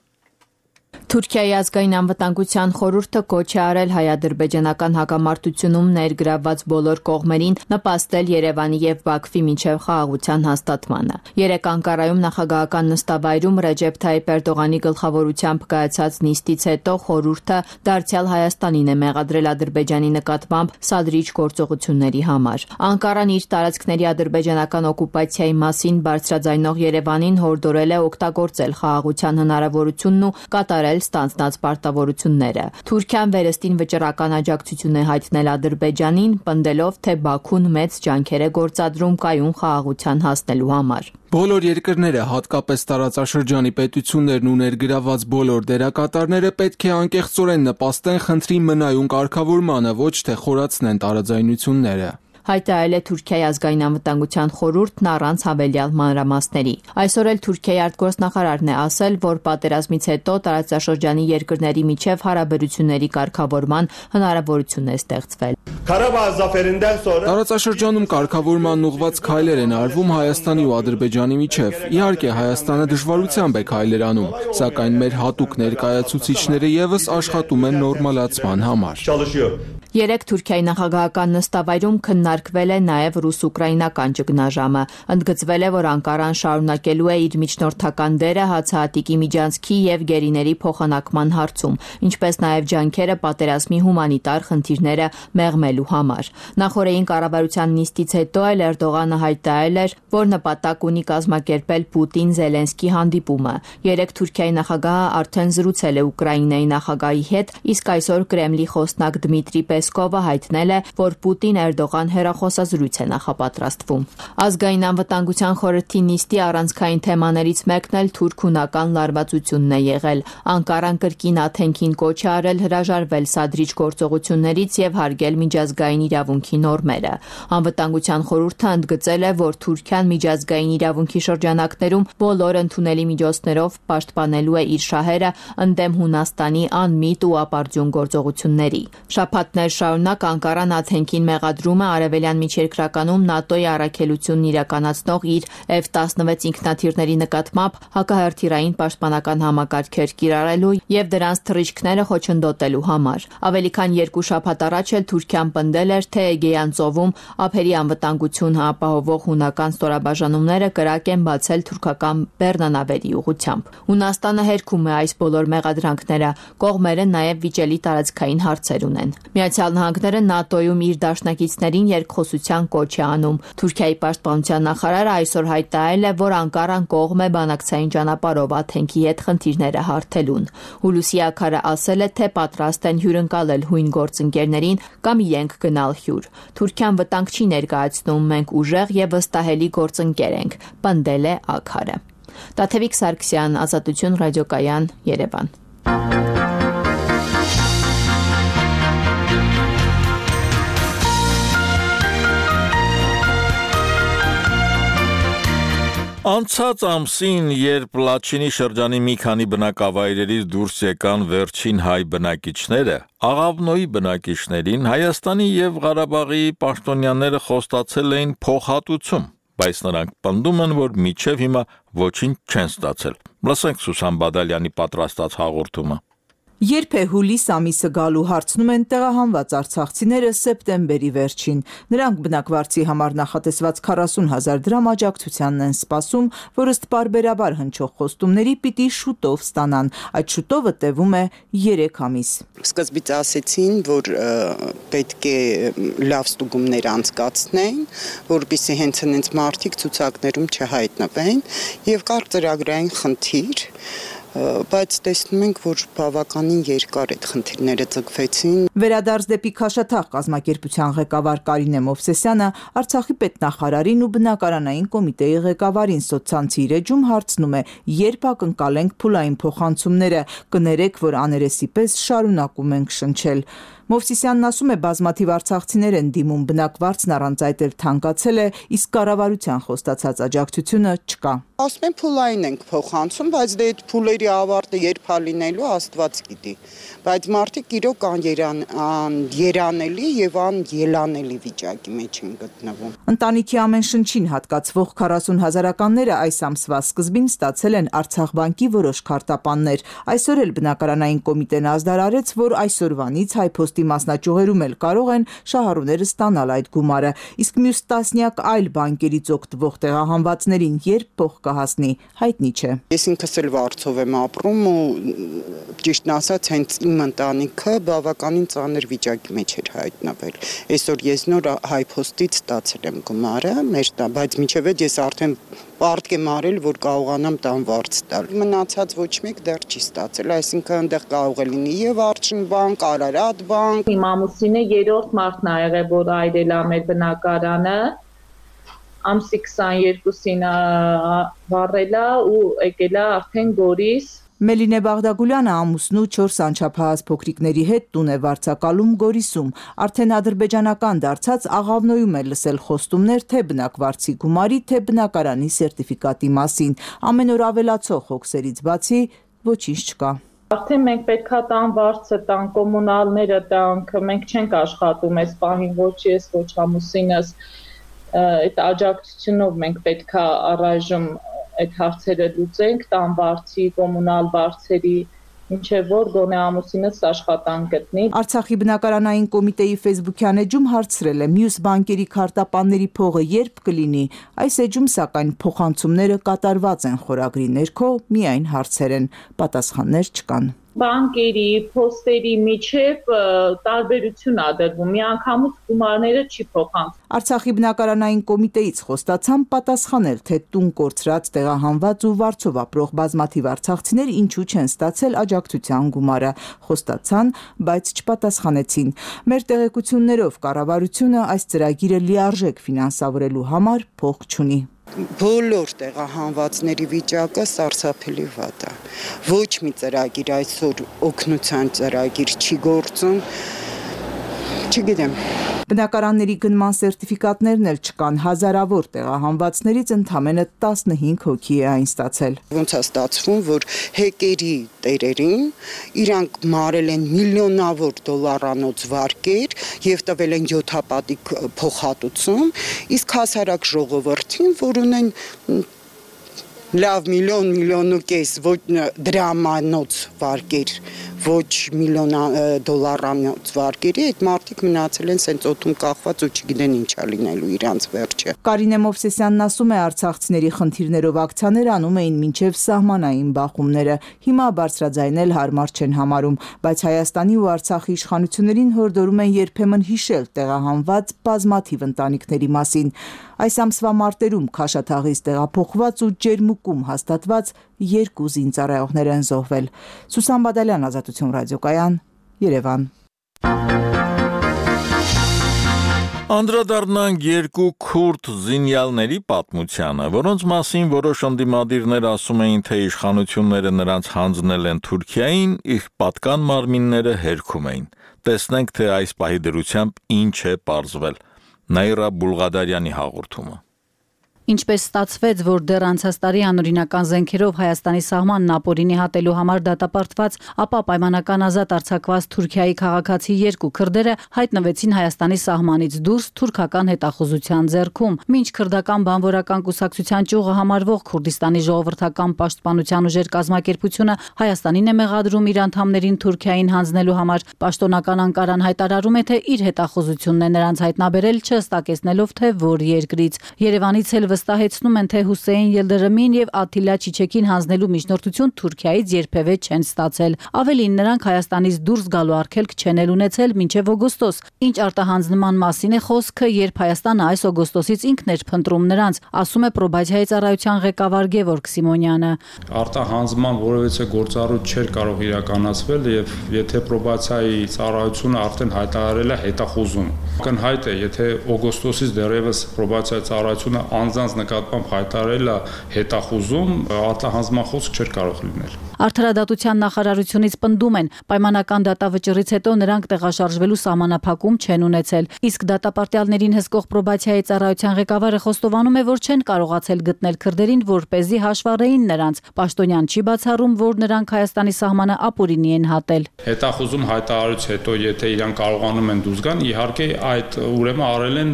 Speaker 2: Թուրքիայի ազգային անվտանգության խորհուրդը կոչ է արել հայ-ադրբեջանական հակամարտությունում ներգրավված բոլոր կողմերին նպաստել Երևանի եւ Բաքվի միջև խաղաղության հաստատմանը։ Երեկ Անկարայում նախագահական նստավայրում Ռեջեփ Թայիփ Էրդողանի գլխավորությամբ կայացած նիստից հետո խորհուրդը դարձյալ Հայաստանին է մեղադրել Ադրբեջանի նկատմամբ սադրիչ գործողությունների համար։ Անկարան իր տարածքների ադրբեջանական օկուպացիայի մասին բարձրաձայնող Երևանին հորդորել է օգտագործել խաղաղության հնարավորությունն ու կատարել շահել ստանձնած պարտավորությունները։ Թուրքիան վերստին վճռական աջակցություն է հայտնել Ադրբեջանին, պնդելով, թե Բաքուն մեծ ջանքեր է գործադրում կայուն խաղաղության հասնելու համար։
Speaker 11: Բոլոր երկրները, հատկապես տարածաշրջանի պետություններն ու ներգրաված բոլոր դերակատարները պետք է անկեղծորեն նպաստեն խնդրի մնայուն կարգավորմանը, ոչ թե խորացնեն տարաձայնությունները։
Speaker 2: Հայտարարել է Թուրքիայի ազգային անվտանգության խորհուրդն առանց հավելյալ մանրամասների։ Այսօր էլ Թուրքիայի արտգործնախարարն է ասել, որ պատերազմից հետո տարածաշրջանի երկրների միջև հարաբերությունների կարգավորման հնարավորություն է ստեղծվել։
Speaker 11: Տարածաշրջանում կարգավորման ուղղված քայլեր են արվում Հայաստանի ու Ադրբեջանի միջև։ Իհարկե Հայաստանը դժվարությամբ է քայլեր անում, սակայն մեր հատուկ ներկայացուցիչները եւս աշխատում են նորմալացման համար։
Speaker 2: Երեք Թուրքիայի նախագահական նստավայրում քննարկվել է նաև ռուս-ուկրաինական ճգնաժամը։ Ընդգծվել է, որ Անկարան շարունակելու է իր միջնորդական դերը հացահատիկի միջանցքի եւ գերիների փոխանակման հարցում, ինչպես նաև ջանքերը պատերազմի հումանիտար խնդիրները մեղմելու համար։ Նախորդային կառավարության նիստից հետո էլ Էրդողանը հայտարարել էր, որ նպատակ ունի կազմակերպել Պուտին-Զելենսկի հանդիպումը։ Երեք Թուրքիայի նախագահը արդեն զրուցել է Ուկրաինայի նախագահի հետ, իսկ այսօր Կրեմլի խոսնակ Դմիտրի Պեսկովը հայտնել է, որ Պուտին-Էրդողան հեռախոսազրույց է նախապատրաստվում։ Ազգային անվտանգության խորհրդի նիստի առանցքային թեմաներից մեկն էլ թուրք-հունական լարվածությունն է եղել։ Անկարան կրկին Աթենքին կոչ է արել հրաժարվել սադրիչ գործողություններից եւ հարգել միջազգային իրավունքի նորմերը։ Անվտանգության խորհուրդը ընդգծել է, որ Թուրքիան միջազգային իրավունքի շրջանակներում բոլոր ընդունելի միջոցներով պաշտպանելու է իր շահերը ընդդեմ Հունաստանի անմիտ ու ապարդյուն գործողությունների։ Շաբաթներ շարունակ Անկարան Աթենքին մեղադրում է արևելյան միջերկրականում ՆԱՏՕ-ի առաքելությունն իրականացնող իր F-16 ինքնաթիռների նկատմամբ հակահրթիռային պաշտպանական համակարգեր կիրառելու եւ դրանց թռիչքները խոչընդոտելու համար։ Ավելի քան 2 շաբաթ առաջ էլ Թուրքիան պնդել էր, թե Էգեյան ծովում ափերի անվտանգություն ապահովող հունական ստորաբաժանումները կրակ են բացել թուրքական բեռնանավերի ուղղությամբ։ Հունաստանը հերքում է այս բոլոր մեղադրանքները, կողմերը նաև վիճելի տարածքային հարցեր ունեն։ Միացյալ Նահանգները ՆԱՏՕ-ում իր դաշնակիցներին երկխոսության կոչ է անում։ Թուրքիայի պաշտպանության նախարարը այսօր հայտարարել է, որ Անկարան կողմ է բանակցային ճանապարհով Աթենքի հետ խնդիրները հարթելուն։ Հուլուսի Աքարը ասել է, թե պատրաստ են հյուրընկալել հույն գործընկերներին կամ իրենք գնալ հյուր։ Թուրքիան վտանգ չի ներկայացնում, մենք ուժեղ եւ վստահելի գործընկեր ենք, պնդել է Աքարը։ Տաթևիկ Սարգսյան, Ազատություն ռադիոկայան, Երևան։
Speaker 1: Անցած ամսին, երբ Լաչինի շրջանի մի քանի բնակավայրերից դուրս եկան վերջին հայ բնակիչները, Աղավնոյի բնակիչներին Հայաստանի եւ Ղարաբաղի պաշտոնյաները խոստացել էին փոխհատուցում, բայց նրանք պնդում են, որ մինչև հիմա ոչինչ չեն ստացել։ Լսենք Սուսան Բադալյանի պատրաստած հաղորդումը։
Speaker 20: Երբ է հուլիս ամիսը գալու հարցնում են տեղահանված արցախցիները սեպտեմբերի վերջին։ Նրանք բնակվարձի համար նախատեսված 40,000 դրամ աջակցությանն են սպասում, որ ըստ պարբերաբար հնչող խոստումների պիտի շուտով ստանան։ Այդ շուտովը տևում է 3 ամիս։
Speaker 3: Սկզբից ասեցին, որ պետք է լավ ստուգումներ անցկացնեն, որպեսզի հենց հենց մարդիկ ցուցակներում չհայտնվեն, եւ կար ծրագրային խնդիր, բայց տեսնում ենք, որ բավականին երկար այդ խնդիրները ձգվեցին։
Speaker 20: Վերադարձ դեպի Քաշաթաղ կազմակերպության ղեկավար Կարինե Մովսեսյանը Արցախի պետնախարարին ու բնակարանային կոմիտեի ղեկավարին սոցցանցի էջում հարցնում է, երբ ակնկալենք փուլային փոխանցումները, կներեք, որ աներեսի պես շարունակում ենք շնչել։ Մովսիսյանն ասում է, բազմաթիվ արցախցիներ են դիմում, բնակվարձն առանց այդ էլ թանկացել է, իսկ կառավարության խոստացած աջակցությունը չկա։
Speaker 3: Ասում են փուլային ենք փոխանցում, բայց դե այդ փուլերի ավարտը երբ լինելու Աստված գիտի։ Բայց մարդիկ իրոք երանելի եւ անելանելի վիճակի մեջ են գտնվում։
Speaker 20: Ընտանիքի ամեն շնչին հատկացվող 40,000-ականները այս ամսվա սկզբին ստացել են Արցախ բանկի որոշ քարտապաններ։ Այսօր էլ բնակարանային կոմիտեն ազդարարեց, որ այսօրվանից հայ փոստի ոլորտի մասնաճյուղերում էլ կարող են շահառուները ստանալ այդ գումարը, իսկ մյուս տասնյակ այլ բանկերից օգտվող տեղահանվածներին երբ փող կհասնի, հայտնի չէ։
Speaker 3: Ես ինքս էլ Վարչով եմ ապրում ու ճիշտն ասած հենց իմ ընտանիքը բավականին ծանր վիճակի մեջ էր հայտնվել։ Այսօր ես նոր հայփոստից ստացել եմ գումարը, բայց մինչև այդ ես արդեն պարտք եմ արել, որ կարողանամ տան վարձ տալ։ Մնացած ոչ մեկ դեռ չի ստացել, այսինքն այնտեղ կարող է լինի եւ Արչինբանկ, Արարատ բանկ։
Speaker 4: Իմ ամուսինը երրորդ մարդն ա եղել, որ այրել ա մեր բնակարանը, ամսի 22-ին վառել ա ու եկել ա արդեն Գորիս։
Speaker 20: Մելինե Բաղդագուլյանը ամուսնու 4 անչափահաս փոքրիկների հետ տուն է վարձակալում Գորիսում։ Արդեն ադրբեջանական դարձած Աղավնոյում է լսել խոստումներ թե բնակվարձի գումարի, թե բնակարանի սերտիֆիկատի մասին։ Ամեն օր ավելացող հոգսերից բացի ոչինչ չկա։
Speaker 4: Արդեն մենք պետքա տան վարձը տան, կոմունալները տանք, մենք չենք աշխատում այս պահին, ոչ ես, ոչ ամուսինս, այդ աջակցությունով մենք պետքա առայժմ այդ հարցերը լուծենք, տան վարձի, կոմունալ վարձերի, ինչեւ որ գոնե ամուսինս աշխատանք գտնի։
Speaker 20: Արցախի բնակարանային կոմիտեի Facebook-յան էջում հարցրել է մյուս բանկերի քարտապանների փողը երբ կլինի։ Այս էջում սակայն փոխանցումները կատարված են խորագրի ներքո, միայն հարցեր են, պատասխաններ չկան։
Speaker 4: Բանկերի, փոստերի միջև տարբերություն ա դրվում, միանգամից գումարները չի փոխանցվում։
Speaker 20: Արցախի բնակարանային կոմիտեից խոստացան պատասխանել, թե տուն կորցրած տեղահանված ու վարձով ապրող բազմաթիվ արցախցիներ ինչու չեն ստացել աջակցության գումարը։ Խոստացան, բայց չպատասխանեցին։ Մեր տեղեկություններով կառավարությունը այս ծրագիրը լիարժեք ֆինանսավորելու համար փող չունի։
Speaker 3: Բոլոր տեղահանվածների վիճակը սարսափելի վատ է։ Ոչ մի ծրագիր այսօր օգնության ծրագիր չի գործում։ Չգիտեմ։
Speaker 20: Բնակարանների գնման սերտիֆիկատներն էլ չկան, հազարավոր տեղահանվածներից ընդամենը 15 հոգի է այն ստացել։
Speaker 3: Ոնց է ստացվում, որ հեկերի տերերին իրանք մարել են միլիոնավոր դոլարանոց վարկեր եւ տվել են 7-հապատիկ փոխհատուցում, իսկ հասարակ ժողովրդին, որ ունեն լավ միլիոն ու կես ոչ դրամանոց վարկեր, ոչ միլիոն դոլարանոց վարկերի, այդ մարդիկ մնացել են սենց օդում կախված ու չգիտեն ինչա լինելու իրանց վերջը։
Speaker 20: Կարինե Մովսեսյանն ասում է, արցախցիների խնդիրներով ակցիաներ անում էին մինչև սահմանային բախումները։ Հիմա բարձրաձայնել հարմար չեն համարում, բայց Հայաստանի ու Արցախի իշխանություններին հորդորում են երբեմն հիշել տեղահանված բազմաթիվ ընտանիքների մասին։ Այս ամսվա մարտերում Քաշաթաղից տեղափոխված ու Ջերմուկում հաստատված 2 զինծառայողներ են զոհվել։ Սուսան Բադալյան, Ազատություն ռադիոկայան, Երևան։
Speaker 1: Անդրադառնանք 2 քուրդ զինյալների պատմությանը, որոնց մասին որոշ ընդդիմադիրներ ասում էին, թե իշխանությունները նրանց հանձնել են Թուրքիային, իսկ պատկան մարմինները հերքում էին։ Տեսնենք, թե այս պահի դրությամբ ինչ է պարզվել։ Նաիրա Բուլղադարյանի հաղորդումը։
Speaker 5: Ինչպես ստացվեց, որ դեռ անցած տարի անօրինական զենքերով Հայաստանի սահմանն ապօրինի հատելու համար դատապարտված, ապա պայմանական ազատ արձակված Թուրքիայի քաղաքացի 2 քրդերը հայտնվեցին Հայաստանի սահմանից դուրս թուրքական հետախուզության ձեռքում։ Մինչ քրդական բանվորական կուսակցության ճյուղը համարվող Քուրդիստանի ժողովրդական պաշտպանության ուժեր կազմակերպությունը Հայաստանին է մեղադրում իր անդամներին Թուրքիային հանձնելու համար, պաշտոնական Անկարան հայտարարում է, թե իր հետախուզությունն է նրանց հայտնաբերել, չհստակեցնելով թե որ երկրից։ Երևանից էլ վստահեցնում են, թե Հուսեյն Ելդրեմին եւ Աթիլա Չիչեքին հանձնելու միջնորդություն Թուրքիայից երբևէ չեն ստացել։ Ավելին, նրանք Հայաստանից դուրս գալու արգելք չեն ունեցել մինչև օգոստոս։ Ինչ արտահանձնման մասին է խոսքը, երբ Հայաստանը այս օգոստոսից ինքն էր փնտրում նրանց, ասում է Պրոբացիայի ծառայության ղեկավար Գևորգ Սիմոնյանը։
Speaker 8: Արտահանձնման որևէ գործառույթ չէր կարող իրականացվել եւ եթե Պրոբացիայի ծառայությունը արդեն հայտարարել է հետախուզում։ Ակնհայտ է, եթե օգոստոսից դեռևս Պրոբացիայի ծառայությունը անձանց նկատմամբ հայտարարել է հետախուզում, արտահանձնման խոսք չէր կարող լինել։
Speaker 5: Արդարադատության նախարարությունից պնդում են, պայմանական դատավճռից հետո նրանք տեղաշարժվելու սահմանափակում չեն ունեցել, իսկ դատապարտյալներին հսկող Պրոբացիայի ծառայության ղեկավարը խոստովանում է, որ չեն կարողացել գտնել քրդերին, որպեսզի հաշվառեին նրանց։ Պաշտոնյան չի բացառում, որ նրանք Հայաստանի սահմանը ապօրինի են հատել։
Speaker 8: Հետախուզում հայտարարից հետո, եթե իրենք կարողանում են դուրս գան, իհարկե այդ ուրեմն արել են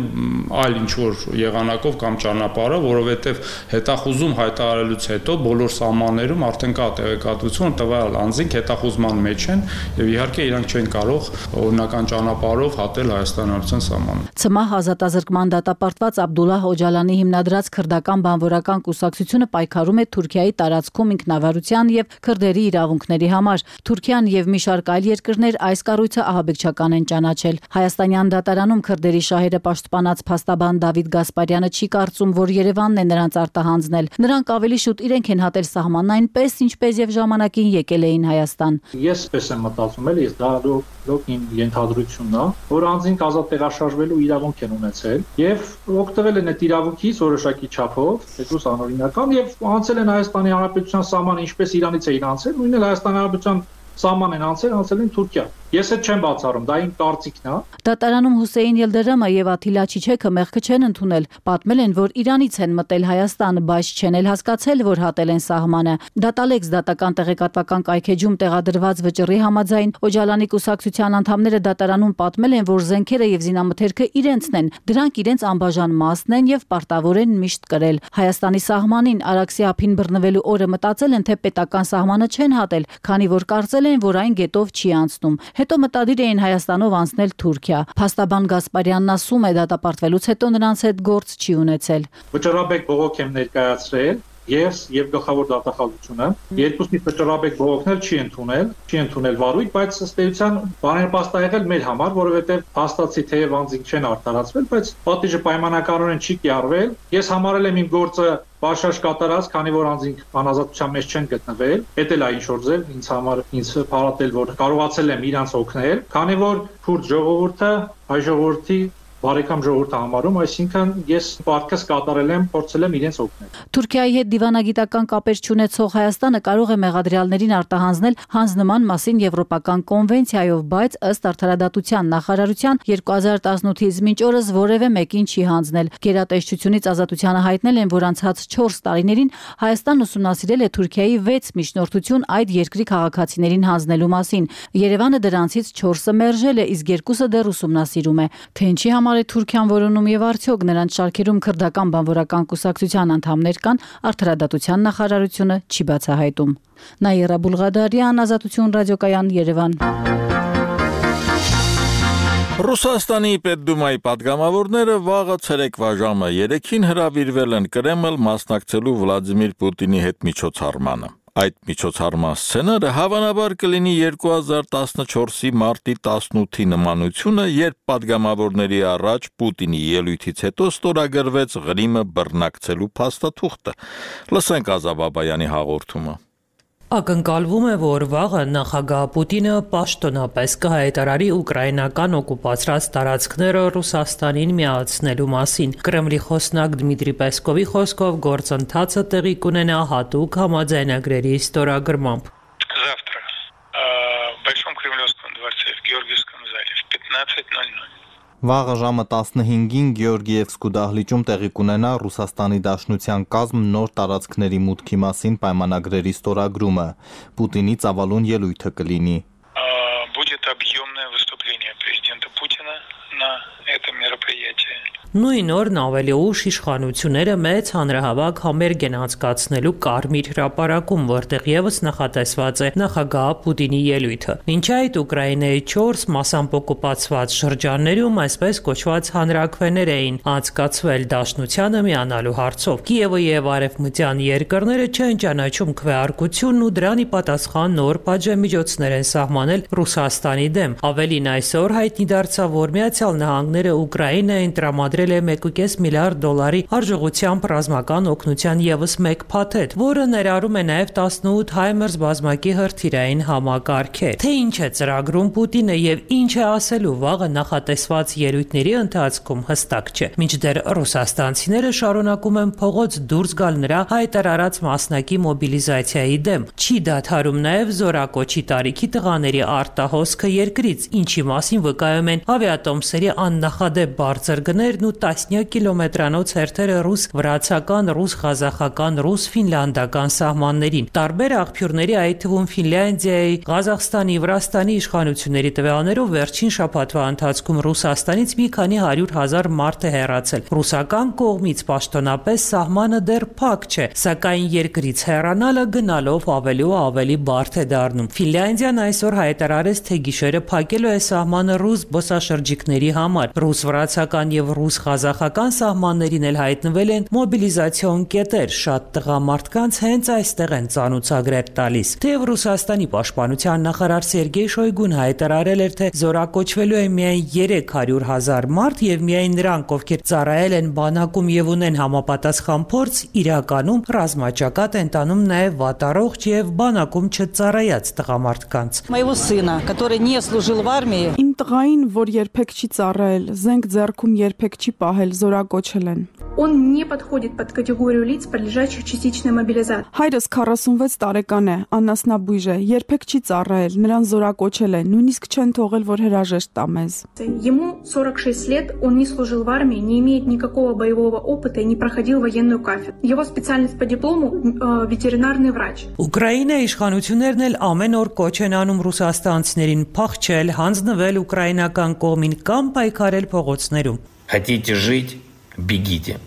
Speaker 8: այլ ինչ որ եղանակով կամ ճանապարհ ճանապարհը, որովհետև հետախուզում հայտարարելուց հետո բոլոր սահմաններում արդեն կա տեղեկատվություն, տվյալ անձինք հետախուզման մեջ են եւ իհարկե իրանք չեն կարող օրինական ճանապարհով հատել Հայաստանի Հանրապետության սահմանը։
Speaker 5: ՑՄՀ ազատազրկման դատապարտված Աբդուլլահ Օջալանի հիմնադրած քրդական բանվորական կուսակցությունը պայքարում է Թուրքիայի տարածքում ինքնավարության եւ քրդերի իրավունքների համար։ Թուրքիան եւ մի շարք այլ երկրներ այս կառույցը ահաբեկչական են ճանաչել։ Հայաստանյան դատարանում քրդերի շահերը պաշտպանած փաստաբան Դավիթ Գասպարյանը չի կարծում, որ Երևանն է նրանց արտահանձնել։ Նրանք ավելի շուտ իրենք են հատել սահմանն այնպես, ինչպես եւ ժամանակին եկել էին Հայաստան։
Speaker 9: Ես պես եմ մտածում էլի, դա լոկ իմ ենթադրությունն է, որ անձինք ազատ տեղաշարժվելու իրավունք են ունեցել եւ օգտվել են այդ իրավունքից որոշակի չափով, այդուս անօրինական եւ անցել են Հայաստանի Հանրապետության սահմանը, ինչպես Իրանից էին անցել, նույնն էլ Հայաստանի Հանրապետության սահման են անցել են Թուրքիա։ Ես այդ չեմ բացառում, դա իմ կարծիքն է։
Speaker 5: Դատարանում Հուսեյն Ելդերամը եւ Աթիլա Չիչեքը մեղքը չեն ընդունել։ Պատմել են, որ Իրանից են մտել Հայաստան, բայց չեն էլ հասկացել, որ հատել են սահմանը։ Դատալեքս դատական տեղեկատվական կայքեջում տեղադրված վճռի համաձայն Օջալանի կուսակցության անդամները դատարանում պատմել են, որ զենքերը եւ զինամթերքը իրենցն են, դրանք իրենց անբաժան մասն են եւ պարտավոր են միշտ կրել։ Հայաստանի սահմանին Արաքսի ափին բռնվելու օրը մտածել են, թե պետական սահմանը չեն հատել, քանի որ կարծել են, որ այն գետով չի անցնում։ Հետո մտադիր էին Հայաստանով անցնել Թուրքիա։ Փաստաբան Գասպարյանն ասում է, դատապարտվելուց հետո նրանց հետ գործ չի ունեցել։
Speaker 9: Վճռաբեկ բողոք եմ ներկայացրել, ես եւ գլխավոր դատախազությունը երկուսնի վճռաբեկ բողոքներ չի ընդունել վարույթ, բայց ըստ էության բաներպաստ է եղել մեր համար, որովհետեւ հաստատի թեև անձինք չեն արտարացվել, բայց պատիժը պայմանականորեն չի կիրառվել։ Ես համարել եմ իմ գործը բաշաշ կատարած, քանի որ անձինք անազատության մեջ չեն գտնվել, դա էլ է ինչ որ ձև ինձ համար ինձ փառատել, որ կարողացել եմ իրանց օգնել, քանի որ քուրդ ժողովուրդը հայ ժողովրդի բարեկամ ժողովուրդը համարում, այսինքն ես պարտքս կատարել եմ, փորձել եմ իրենց օգնել։
Speaker 5: Թուրքիայի հետ դիվանագիտական կապեր չունեցող Հայաստանը կարող է մեղադրյալներին արտահանձնել հանձնման մասին եվրոպական կոնվենցիայով, բայց ըստ Արդարադատության նախարարության 2018-ից մինչ օրս որևէ մեկին չի հանձնել։ Գերատեսչությունից Ազատությանը հայտնել են, որ անցած 4 տարիներին Հայաստանն ուսումնասիրել է Թուրքիայի 6 միջնորդություն այդ երկրի քաղաքացիներին հանձնելու մասին։ Երևանը դրանցից 4-ը մերժել է, իսկ 2-ը դեռ ուսումնասիրում է։ Թե ինչի համար է Թուրքիան որոնում եւ արդյոք նրանց շարքերում քրդական բանվորական կուսակցության անդամներ կան, Արդարադատության նախարարությունը չի բացահայտում։ Նաիրա Բուլղադարյան, Ազատություն ռադիոկայան, Երևան։
Speaker 1: Ռուսաստանի Պետդումայի падգամավորները վաղը ցերեկվա ժամը 3-ին հրավիրվել են Կրեմլ մասնակցելու Վլադիմիր Պուտինի հետ միջոցառմանը։ Այդ միջոցառման սցենարը հավանաբար կլինի 2014-ի մարտի 18-ի նմանությունը, երբ падգամավորների առաջ Պուտինի ելույթից հետո ստորագրվեց Ղրիմը բռնակցելու փաստաթուղթը։ Լսենք Ազա Բաբայանի հաղորդումը։
Speaker 12: Ակնկալվում է, որ վաղը նախագահ Պուտինը պաշտոնապես կհայտարարի ուկրաինական օկուպացրած տարածքները Ռուսաստանին միացնելու մասին։ Կրեմլի խոսնակ Դմիտրի Պեսկովի խոսքով գործընթացը տեղի կունենա հատուկ համաձայնագրերի ստորագրմամբ։
Speaker 13: Завтра в Большом Кремлевском дворце в Георгиевском зале в 15:00
Speaker 23: Վաղը ժամը 15-ին Գեորգիևսկու դահլիճում տեղի կունենա Ռուսաստանի Դաշնության կազմ նոր տարածքների մուտքի մասին պայմանագրերի ստորագրումը։ Պուտինի ծավալուն ելույթը կլինի։
Speaker 13: Будет объемное выступление президента Путина на этом мероприятии.
Speaker 12: Նույն օրն ավելի ուշ իշխանությունները մեծ հանրահավաք համերգ են անցկացնելու Կարմիր հրապարակում, որտեղ եւս նախատեսված է նախագահ Պուտինի ելույթը։ Մինչ այդ Ուկրաինայի 4 մասամբ օկուպացված շրջաններում այսպես կոչված հանրաքվեներ էին անցկացվել Դաշնությանը միանալու հարցով։ Կիևը եւ արևմտյան երկրները չեն ճանաչում քվեարկությունն ու դրան ի պատասխան նոր պատժամիջոցներ են սահմանել Ռուսաստանի դեմ։ Ավելին այսօր հայտնի դարձավ, որ Միացյալ Նահանգները Ուկրաինային տրամադրել է 1.5 միլիարդ դոլարի արժողությամբ ռազմական օգնության եւս մեկ փաթեթ, որը ներառում է նաեւ 18 HIMARS բազմակի հրթիռային համակարգեր։ Թե ինչ է ծրագրում Պուտինը եւ ինչ է ասելու վաղը նախատեսված ելույթների ընթացքում հստակ չէ։ Մինչդեռ ռուսաստանցիները շարունակում են փողոց դուրս գալ նրա հայտարարած մասնակի մոբիլիզացիայի դեմ։ Չի դադարում նաեւ զորակոչի տարիքի տղաների արտահոսքը երկրից, ինչի մասին վկայում են ավիատոմսերի աննախադեպ բարձր գներն ու տասնյակ կիլոմետրանոց հերթերը ռուս-վրացական, ռուս-ղազախական, ռուս-ֆինլանդական սահմաններին։ Տարբեր աղբյուրների, այդ թվում Ֆինլանդիայի, Ղազախստանի, Վրաստանի իշխանությունների տվյալներով վերջին շաբաթվա ընթացքում Ռուսաստանից մի քանի 100,000 մարդ է հեռացել։ Ռուսական կողմից պաշտոնապես սահմանը դեռ փակ չէ, սակայն երկրից հեռանալը գնալով ավելի ու ավելի բարդ է դառնում։ Ֆինլանդիան այսօր հայտարարեց, թե գիշերը փակելու է սահմանը ռուս զբոսաշրջիկների համար։ Ռուս-վրացական եւ ռուս-ղազախական սահմաններին էլ հայտնվել են մոբիլիզացիոն կետեր։ Շատ տղամարդկանց հենց այստեղ են ծանուցագրեր տալիս։ Թեև Ռուսաստանի պաշտպանության նախարար Սերգեյ Շոյգուն հայտարարել էր, թե զորակոչվելու է միայն 300,000 մարդ եւ միայն նրանք, ովքեր ծառայել են բանակում եւ ունեն համապատասխան փորձ, իրականում ռազմաճակատ են տանում նաեւ վատառողջ եւ բանակում չծառայած տղամարդկանց։
Speaker 7: Моего сына, который не служил в армии,
Speaker 14: Իմ տղային, որ երբեք չի ծառայել, զենք ձեռքում երբեք չի պահել, զորակոչել են։
Speaker 10: Он не подходит под категорию лиц, подлежащих частичной мобилизации.
Speaker 14: Հայրս 46 տարեկան է, անասնաբույժ է, երբեք չի ծառայել, նրան զորակոչել են, նույնիսկ չեն թողել, որ հրաժեշտ տա մեզ։
Speaker 10: Ему 46 лет, он не служил в армии, не имеет никакого боевого опыта и не проходил военную кафедру. Его специальность по диплому ветеринарный врач.
Speaker 12: Ուկրաինայի իշխանություններն էլ ամեն օր կոչ են անում ռուսաստանցիներին փախչել, հանձնվել ուկրաինական կողմին կամ պայքարել փողոցներում։
Speaker 15: Хотите жить, бегите.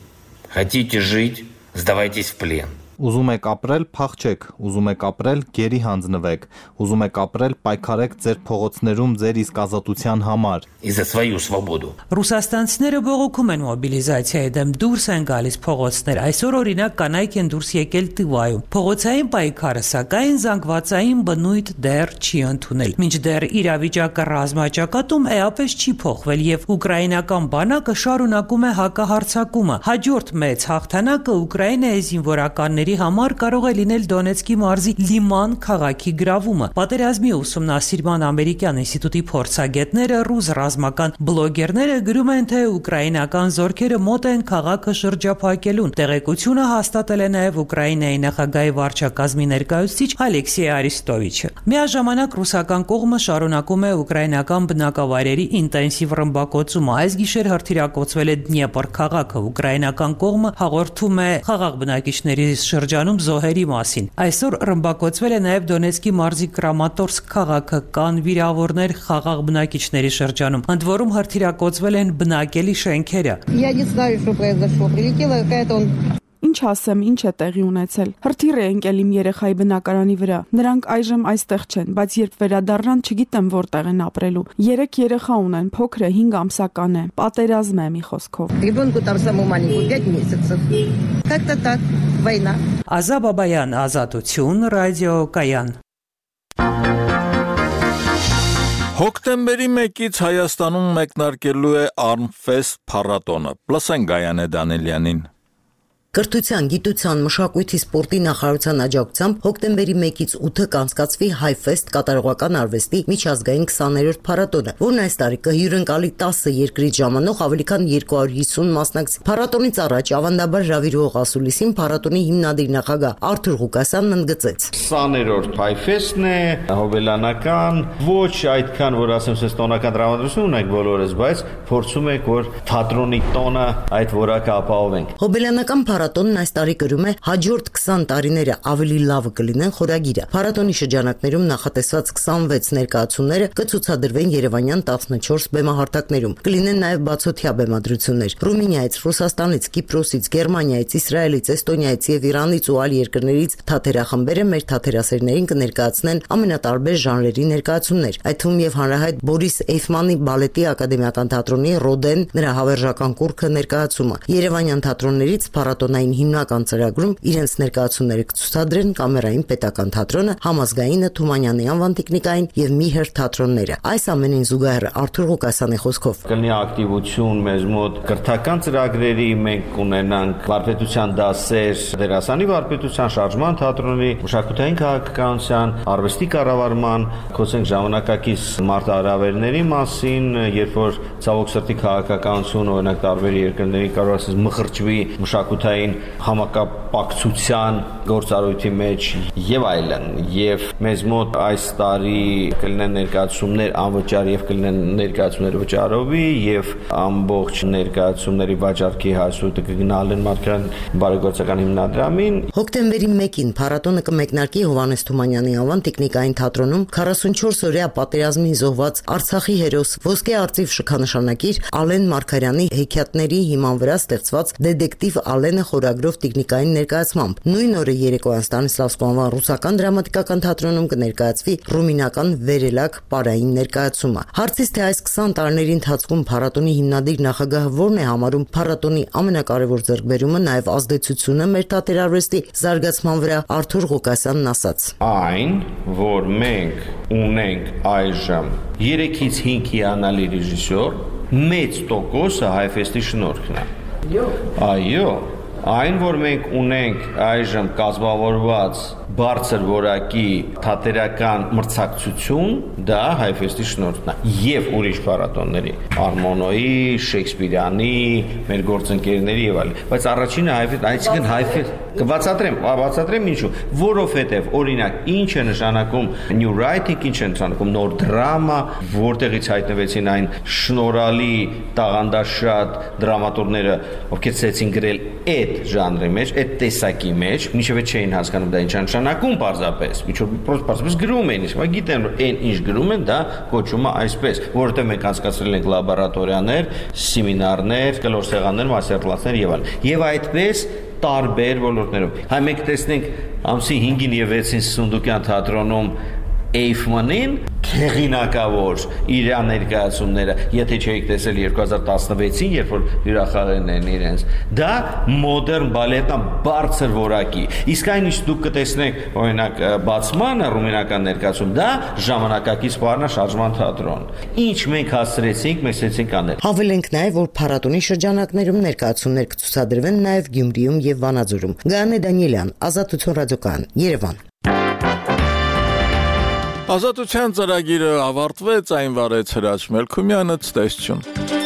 Speaker 15: Хотите жить, сдавайтесь в плен.
Speaker 23: Ուզում եք ապրել, փախչեք, ուզում եք ապրել, գերի հանձնվեք, ուզում եք ապրել, պայքարեք ձեր փողոցներում ձեր իսկ ազատության համար։
Speaker 15: И за свою свободу.
Speaker 12: Ռուսաստանցիները բողոքում են մոբիլիզացիայի դեմ, դուրս են գալիս փողոցներ։ Այսօր օրինակ կանայք են դուրս եկել Տիվայում։ Փողոցային պայքարը, սակայն զանգվածային բնույթ դեռ չի ընդունել։ Մինչդեռ իրավիճակը ռազմաճակատում էապես չի փոխվել եւ ուկրաինական բանակը շարունակում է հակահարձակումը։ Հաջորդ մեծ հաղթանակը Ուկրաինայի զինվորականների համար կարող է լինել Դոնեցկի մարզի Լիման քաղաքի գրավումը։ Պատերազմի ուսումնասիրման ամերիկյան ինստիտուտի փորձագետները, ռուս ռազմական բլոգերները գրում են, թե ուկրաինական զորքերը մոտ են քաղաքը շրջափակելուն։ Տեղեկությունը հաստատել է նաև Ուկրաինայի նախագահի վարչակազմի ներկայացուցիչ Ալեքսեյ Արիստովիչը։ Միաժամանակ ռուսական կողմը շարունակում է ուկրաինական բնակավայրերի ինտենսիվ ռմբակոծումը։ Այս գիշեր հրթիռակոծվել է Դնեպր քաղաքը։ Ուկրաինական կողմը հաղորդում է խաղաղ բնակիչների շրջանում զոհերի մասին։ Այսօր ռմբակոծվել է նաև Դոնեցկի մարզի Կրամատորսկ քաղաքը, կան վիրավորներ խաղաղ բնակիչների շրջանում։ Ընդ որում հրթիռակոծվել են բնակելի շենքերը։
Speaker 7: Я не знаю, что произошло. Прилетела какая-то
Speaker 14: Ինչ ասեմ, ինչ է տեղի ունեցել։ Հրթիռ է ընկել իմ երեխայի բնակարանի վրա։ Նրանք այժմ այստեղ չեն, բայց երբ վերադառնան, չգիտեմ որտեղ են ապրելու։ 3 երեխա ունեն, փոքրը 5 ամսական է։ Պատերազմ է մի խոսքով։
Speaker 7: Ребенку там самому маленькому 5 месяцев. Как-то так. Война.
Speaker 12: Ազա Բաբայան, Ազատություն, ռադիո Կայան։
Speaker 1: Հոկտեմբերի 1-ից Հայաստանում մեկնարկելու է Armfest փառատոնը։ Լսենք Գայանե Դանելյանին։
Speaker 24: Կրթության, գիտության, մշակույթի, սպորտի նախարարության աջակցությամբ հոկտեմբերի 1-ից 8-ը կանցկացվի Հայֆեստ կատարողական արվեստի միջազգային 20-րդ փառատոնը, որն այս տարի կհյուրընկալի 10 երկրից ժամանող ավելի քան 250 մասնակցի։ Փառատոնից առաջ ավանդաբար հրավիրող ասուլիսին փառատոնի հիմնադիր նախագահ Արթուր Ղուկասյանն ընդգծեց.
Speaker 25: 20-րդ Հայֆեստն է, հոբելանական, ոչ այդքան, որ ասեմ, սենց տոնական տրամադրություն ունենք բոլորս, բայց փորձում ենք, որ թատրոնի տոնը այդ որակը ապահովենք։
Speaker 24: Հոբելանական փառատոնն այս տարի կրում է հաջորդ 20 տարիները ավելի լավը կլինեն խորագիրը։ Փառատոնի շրջանակներում նախատեսված 26 ներկայացումները կցուցադրվեն Երևանյան 14 բեմահարթակներում։ Կլինեն նաև բացօթյա բեմադրություններ։ Ռումինիայից, Ռուսաստանից, Կիպրոսից, Գերմանիայից, Իսրայելից, Էստոնիայից եւ Իրանից ու այլ երկրներից թատերախմբերը մեր թատերասերներին կներկայացնեն ամենատարբեր ժանրերի ներկայացումներ։ Այդ թվում եւ հանրահայտ Բորիս Էյֆմանի բալետի ակադեմիական թատրոնի Ռոդեն նրա հավերժական կուրքը ներկայացումը։ Երևանյան թատրոններից փառատոնային հիմնական ծրագրում իրենց ներկայացումները կցուցադրեն Կամերային պետական թատրոնը, Համազգայինը, Թումանյանի անվան տեխնիկային եւ Միհեր թատրոնները։ Այս ամենին զուգահեռ Արթուր Ղուկասյանի խոսքով
Speaker 25: կլինի ակտիվություն մեզ մոտ կրթական ծրագրերի, մենք կունենանք վարպետության դասեր, դերասանի վարպետության, շարժման թատրոնի, մշակութային քաղաքականության, արվեստի կառավարման, խոսենք ժամանակակից մարտահրավերների մասին, երբ որ ցավոք սրտի քաղաքականություն օրինակ տարբեր երկրների կարող ասես մխրճվի մշակութային միջազգային համակապակցության գործառույթի մեջ եւ այլն, եւ մեզ մոտ այս տարի կլինեն ներկայացումներ անվճար եւ կլինեն ներկայացումներ վճարովի եւ ամբողջ ներկայացումների վաճառքի հասույթը կգնալեն Մարգարյան բարեգործական հիմնադրամին։
Speaker 24: Հոկտեմբերի 1-ին փառատոնը կմեկնարկի Հովհաննես Թումանյանի անվան տեխնիկային թատրոնում 44-օրյա պատերազմի զոհված Արցախի հերոս ոսկե արծիվ շքանշանակիր Ալեն Մարգարյանի հեքիաթների հիման վրա ստեղծված դետեկտիվ Ալենը խորագրով տեխնիկային ներկայացմամբ։ Նույն օրը երեկոյան Ստանիսլավսկու անվան ռուսական դրամատիկական թատրոնում կներկայացվի ռումինական վերելակ պարային ներկայացումը։ Հարցից թե այս 20 տարիների ընթացքում փառատոնի հիմնադիր նախագահը որն է համարում փառատոնի ամենակարևոր ձեռքբերումը, նաև ազդեցությունը մեր թատերարվեստի զարգացման վրա, Արթուր Ղուկասյանն ասաց.
Speaker 25: Այն, որ մենք ունենք այժմ 3-ից 5 հիանալի ռեժիսոր, մեծ տոկոսը Հայֆեստի շնորհքն է։ Այո, այն, որ մենք ունենք այժմ կազմավորված բարձր որակի թատերական մրցակցություն, դա Հայֆեստի շնորհքն է եւ ուրիշ փառատոնների, Արմոնոյի, Շեքսպիրյանի, մեր գործընկերների եւ այլն։ Բայց առաջինը այսինքն Հայֆեստ կբացատրեմ ինչու, որովհետեւ օրինակ ինչ է նշանակում new writing, ինչ է նշանակում նոր դրամա, որտեղից հայտնվեցին այն շնորհալի տաղանդաշատ դրամատուրգները, ովքեր ցեցին գրել այդ ժանրի մեջ, այդ տեսակի մեջ, մինչև չէին հասկանում դա ինչ է նշանակում պարզապես, պարզապես գրում էին, իսկ գիտեն որ այն ինչ գրում են, դա կոչվում է այսպես, որովհետև մենք անցկացրել ենք լաբորատորիաներ, սեմինարներ, կլոր սեղաններ, մաստերկլասներ եւ այլն։ Եվ այդպես տարբեր ոլորտներում։ Հայ մենք տեսնենք ամսի 5-ին եւ 6-ին Սունդուկյան թատրոնում Էյֆմանին հեղինակավոր իր ներկայացումները, եթե չէիք տեսել 2016-ին, երբ որ հյուրախաղերն են իրենց, դա մոդեռն բալետն բարձր որակի։ Իսկ այն ինչ դուք կտեսնեք, օրինակ բացմանը ռումինական ներկայացում, դա ժամանակակից բառնա շարժման թատրոն։ Ինչ մենք հասցրեցինք, մենք ցեցինք անել։
Speaker 24: Հավելենք նաև, որ փառատոնի շրջանակներում ներկայացումներ կցուցադրվեն նաև Գյումրիում եւ Վանաձորում։ Գայանե Դանիելյան, Ազատություն ռադիոկայան, Երևան։
Speaker 1: Ազատության ծրագիրը ավարտվեց, այն վարեց Հրաչ Մելքումյանը, ցտեսություն։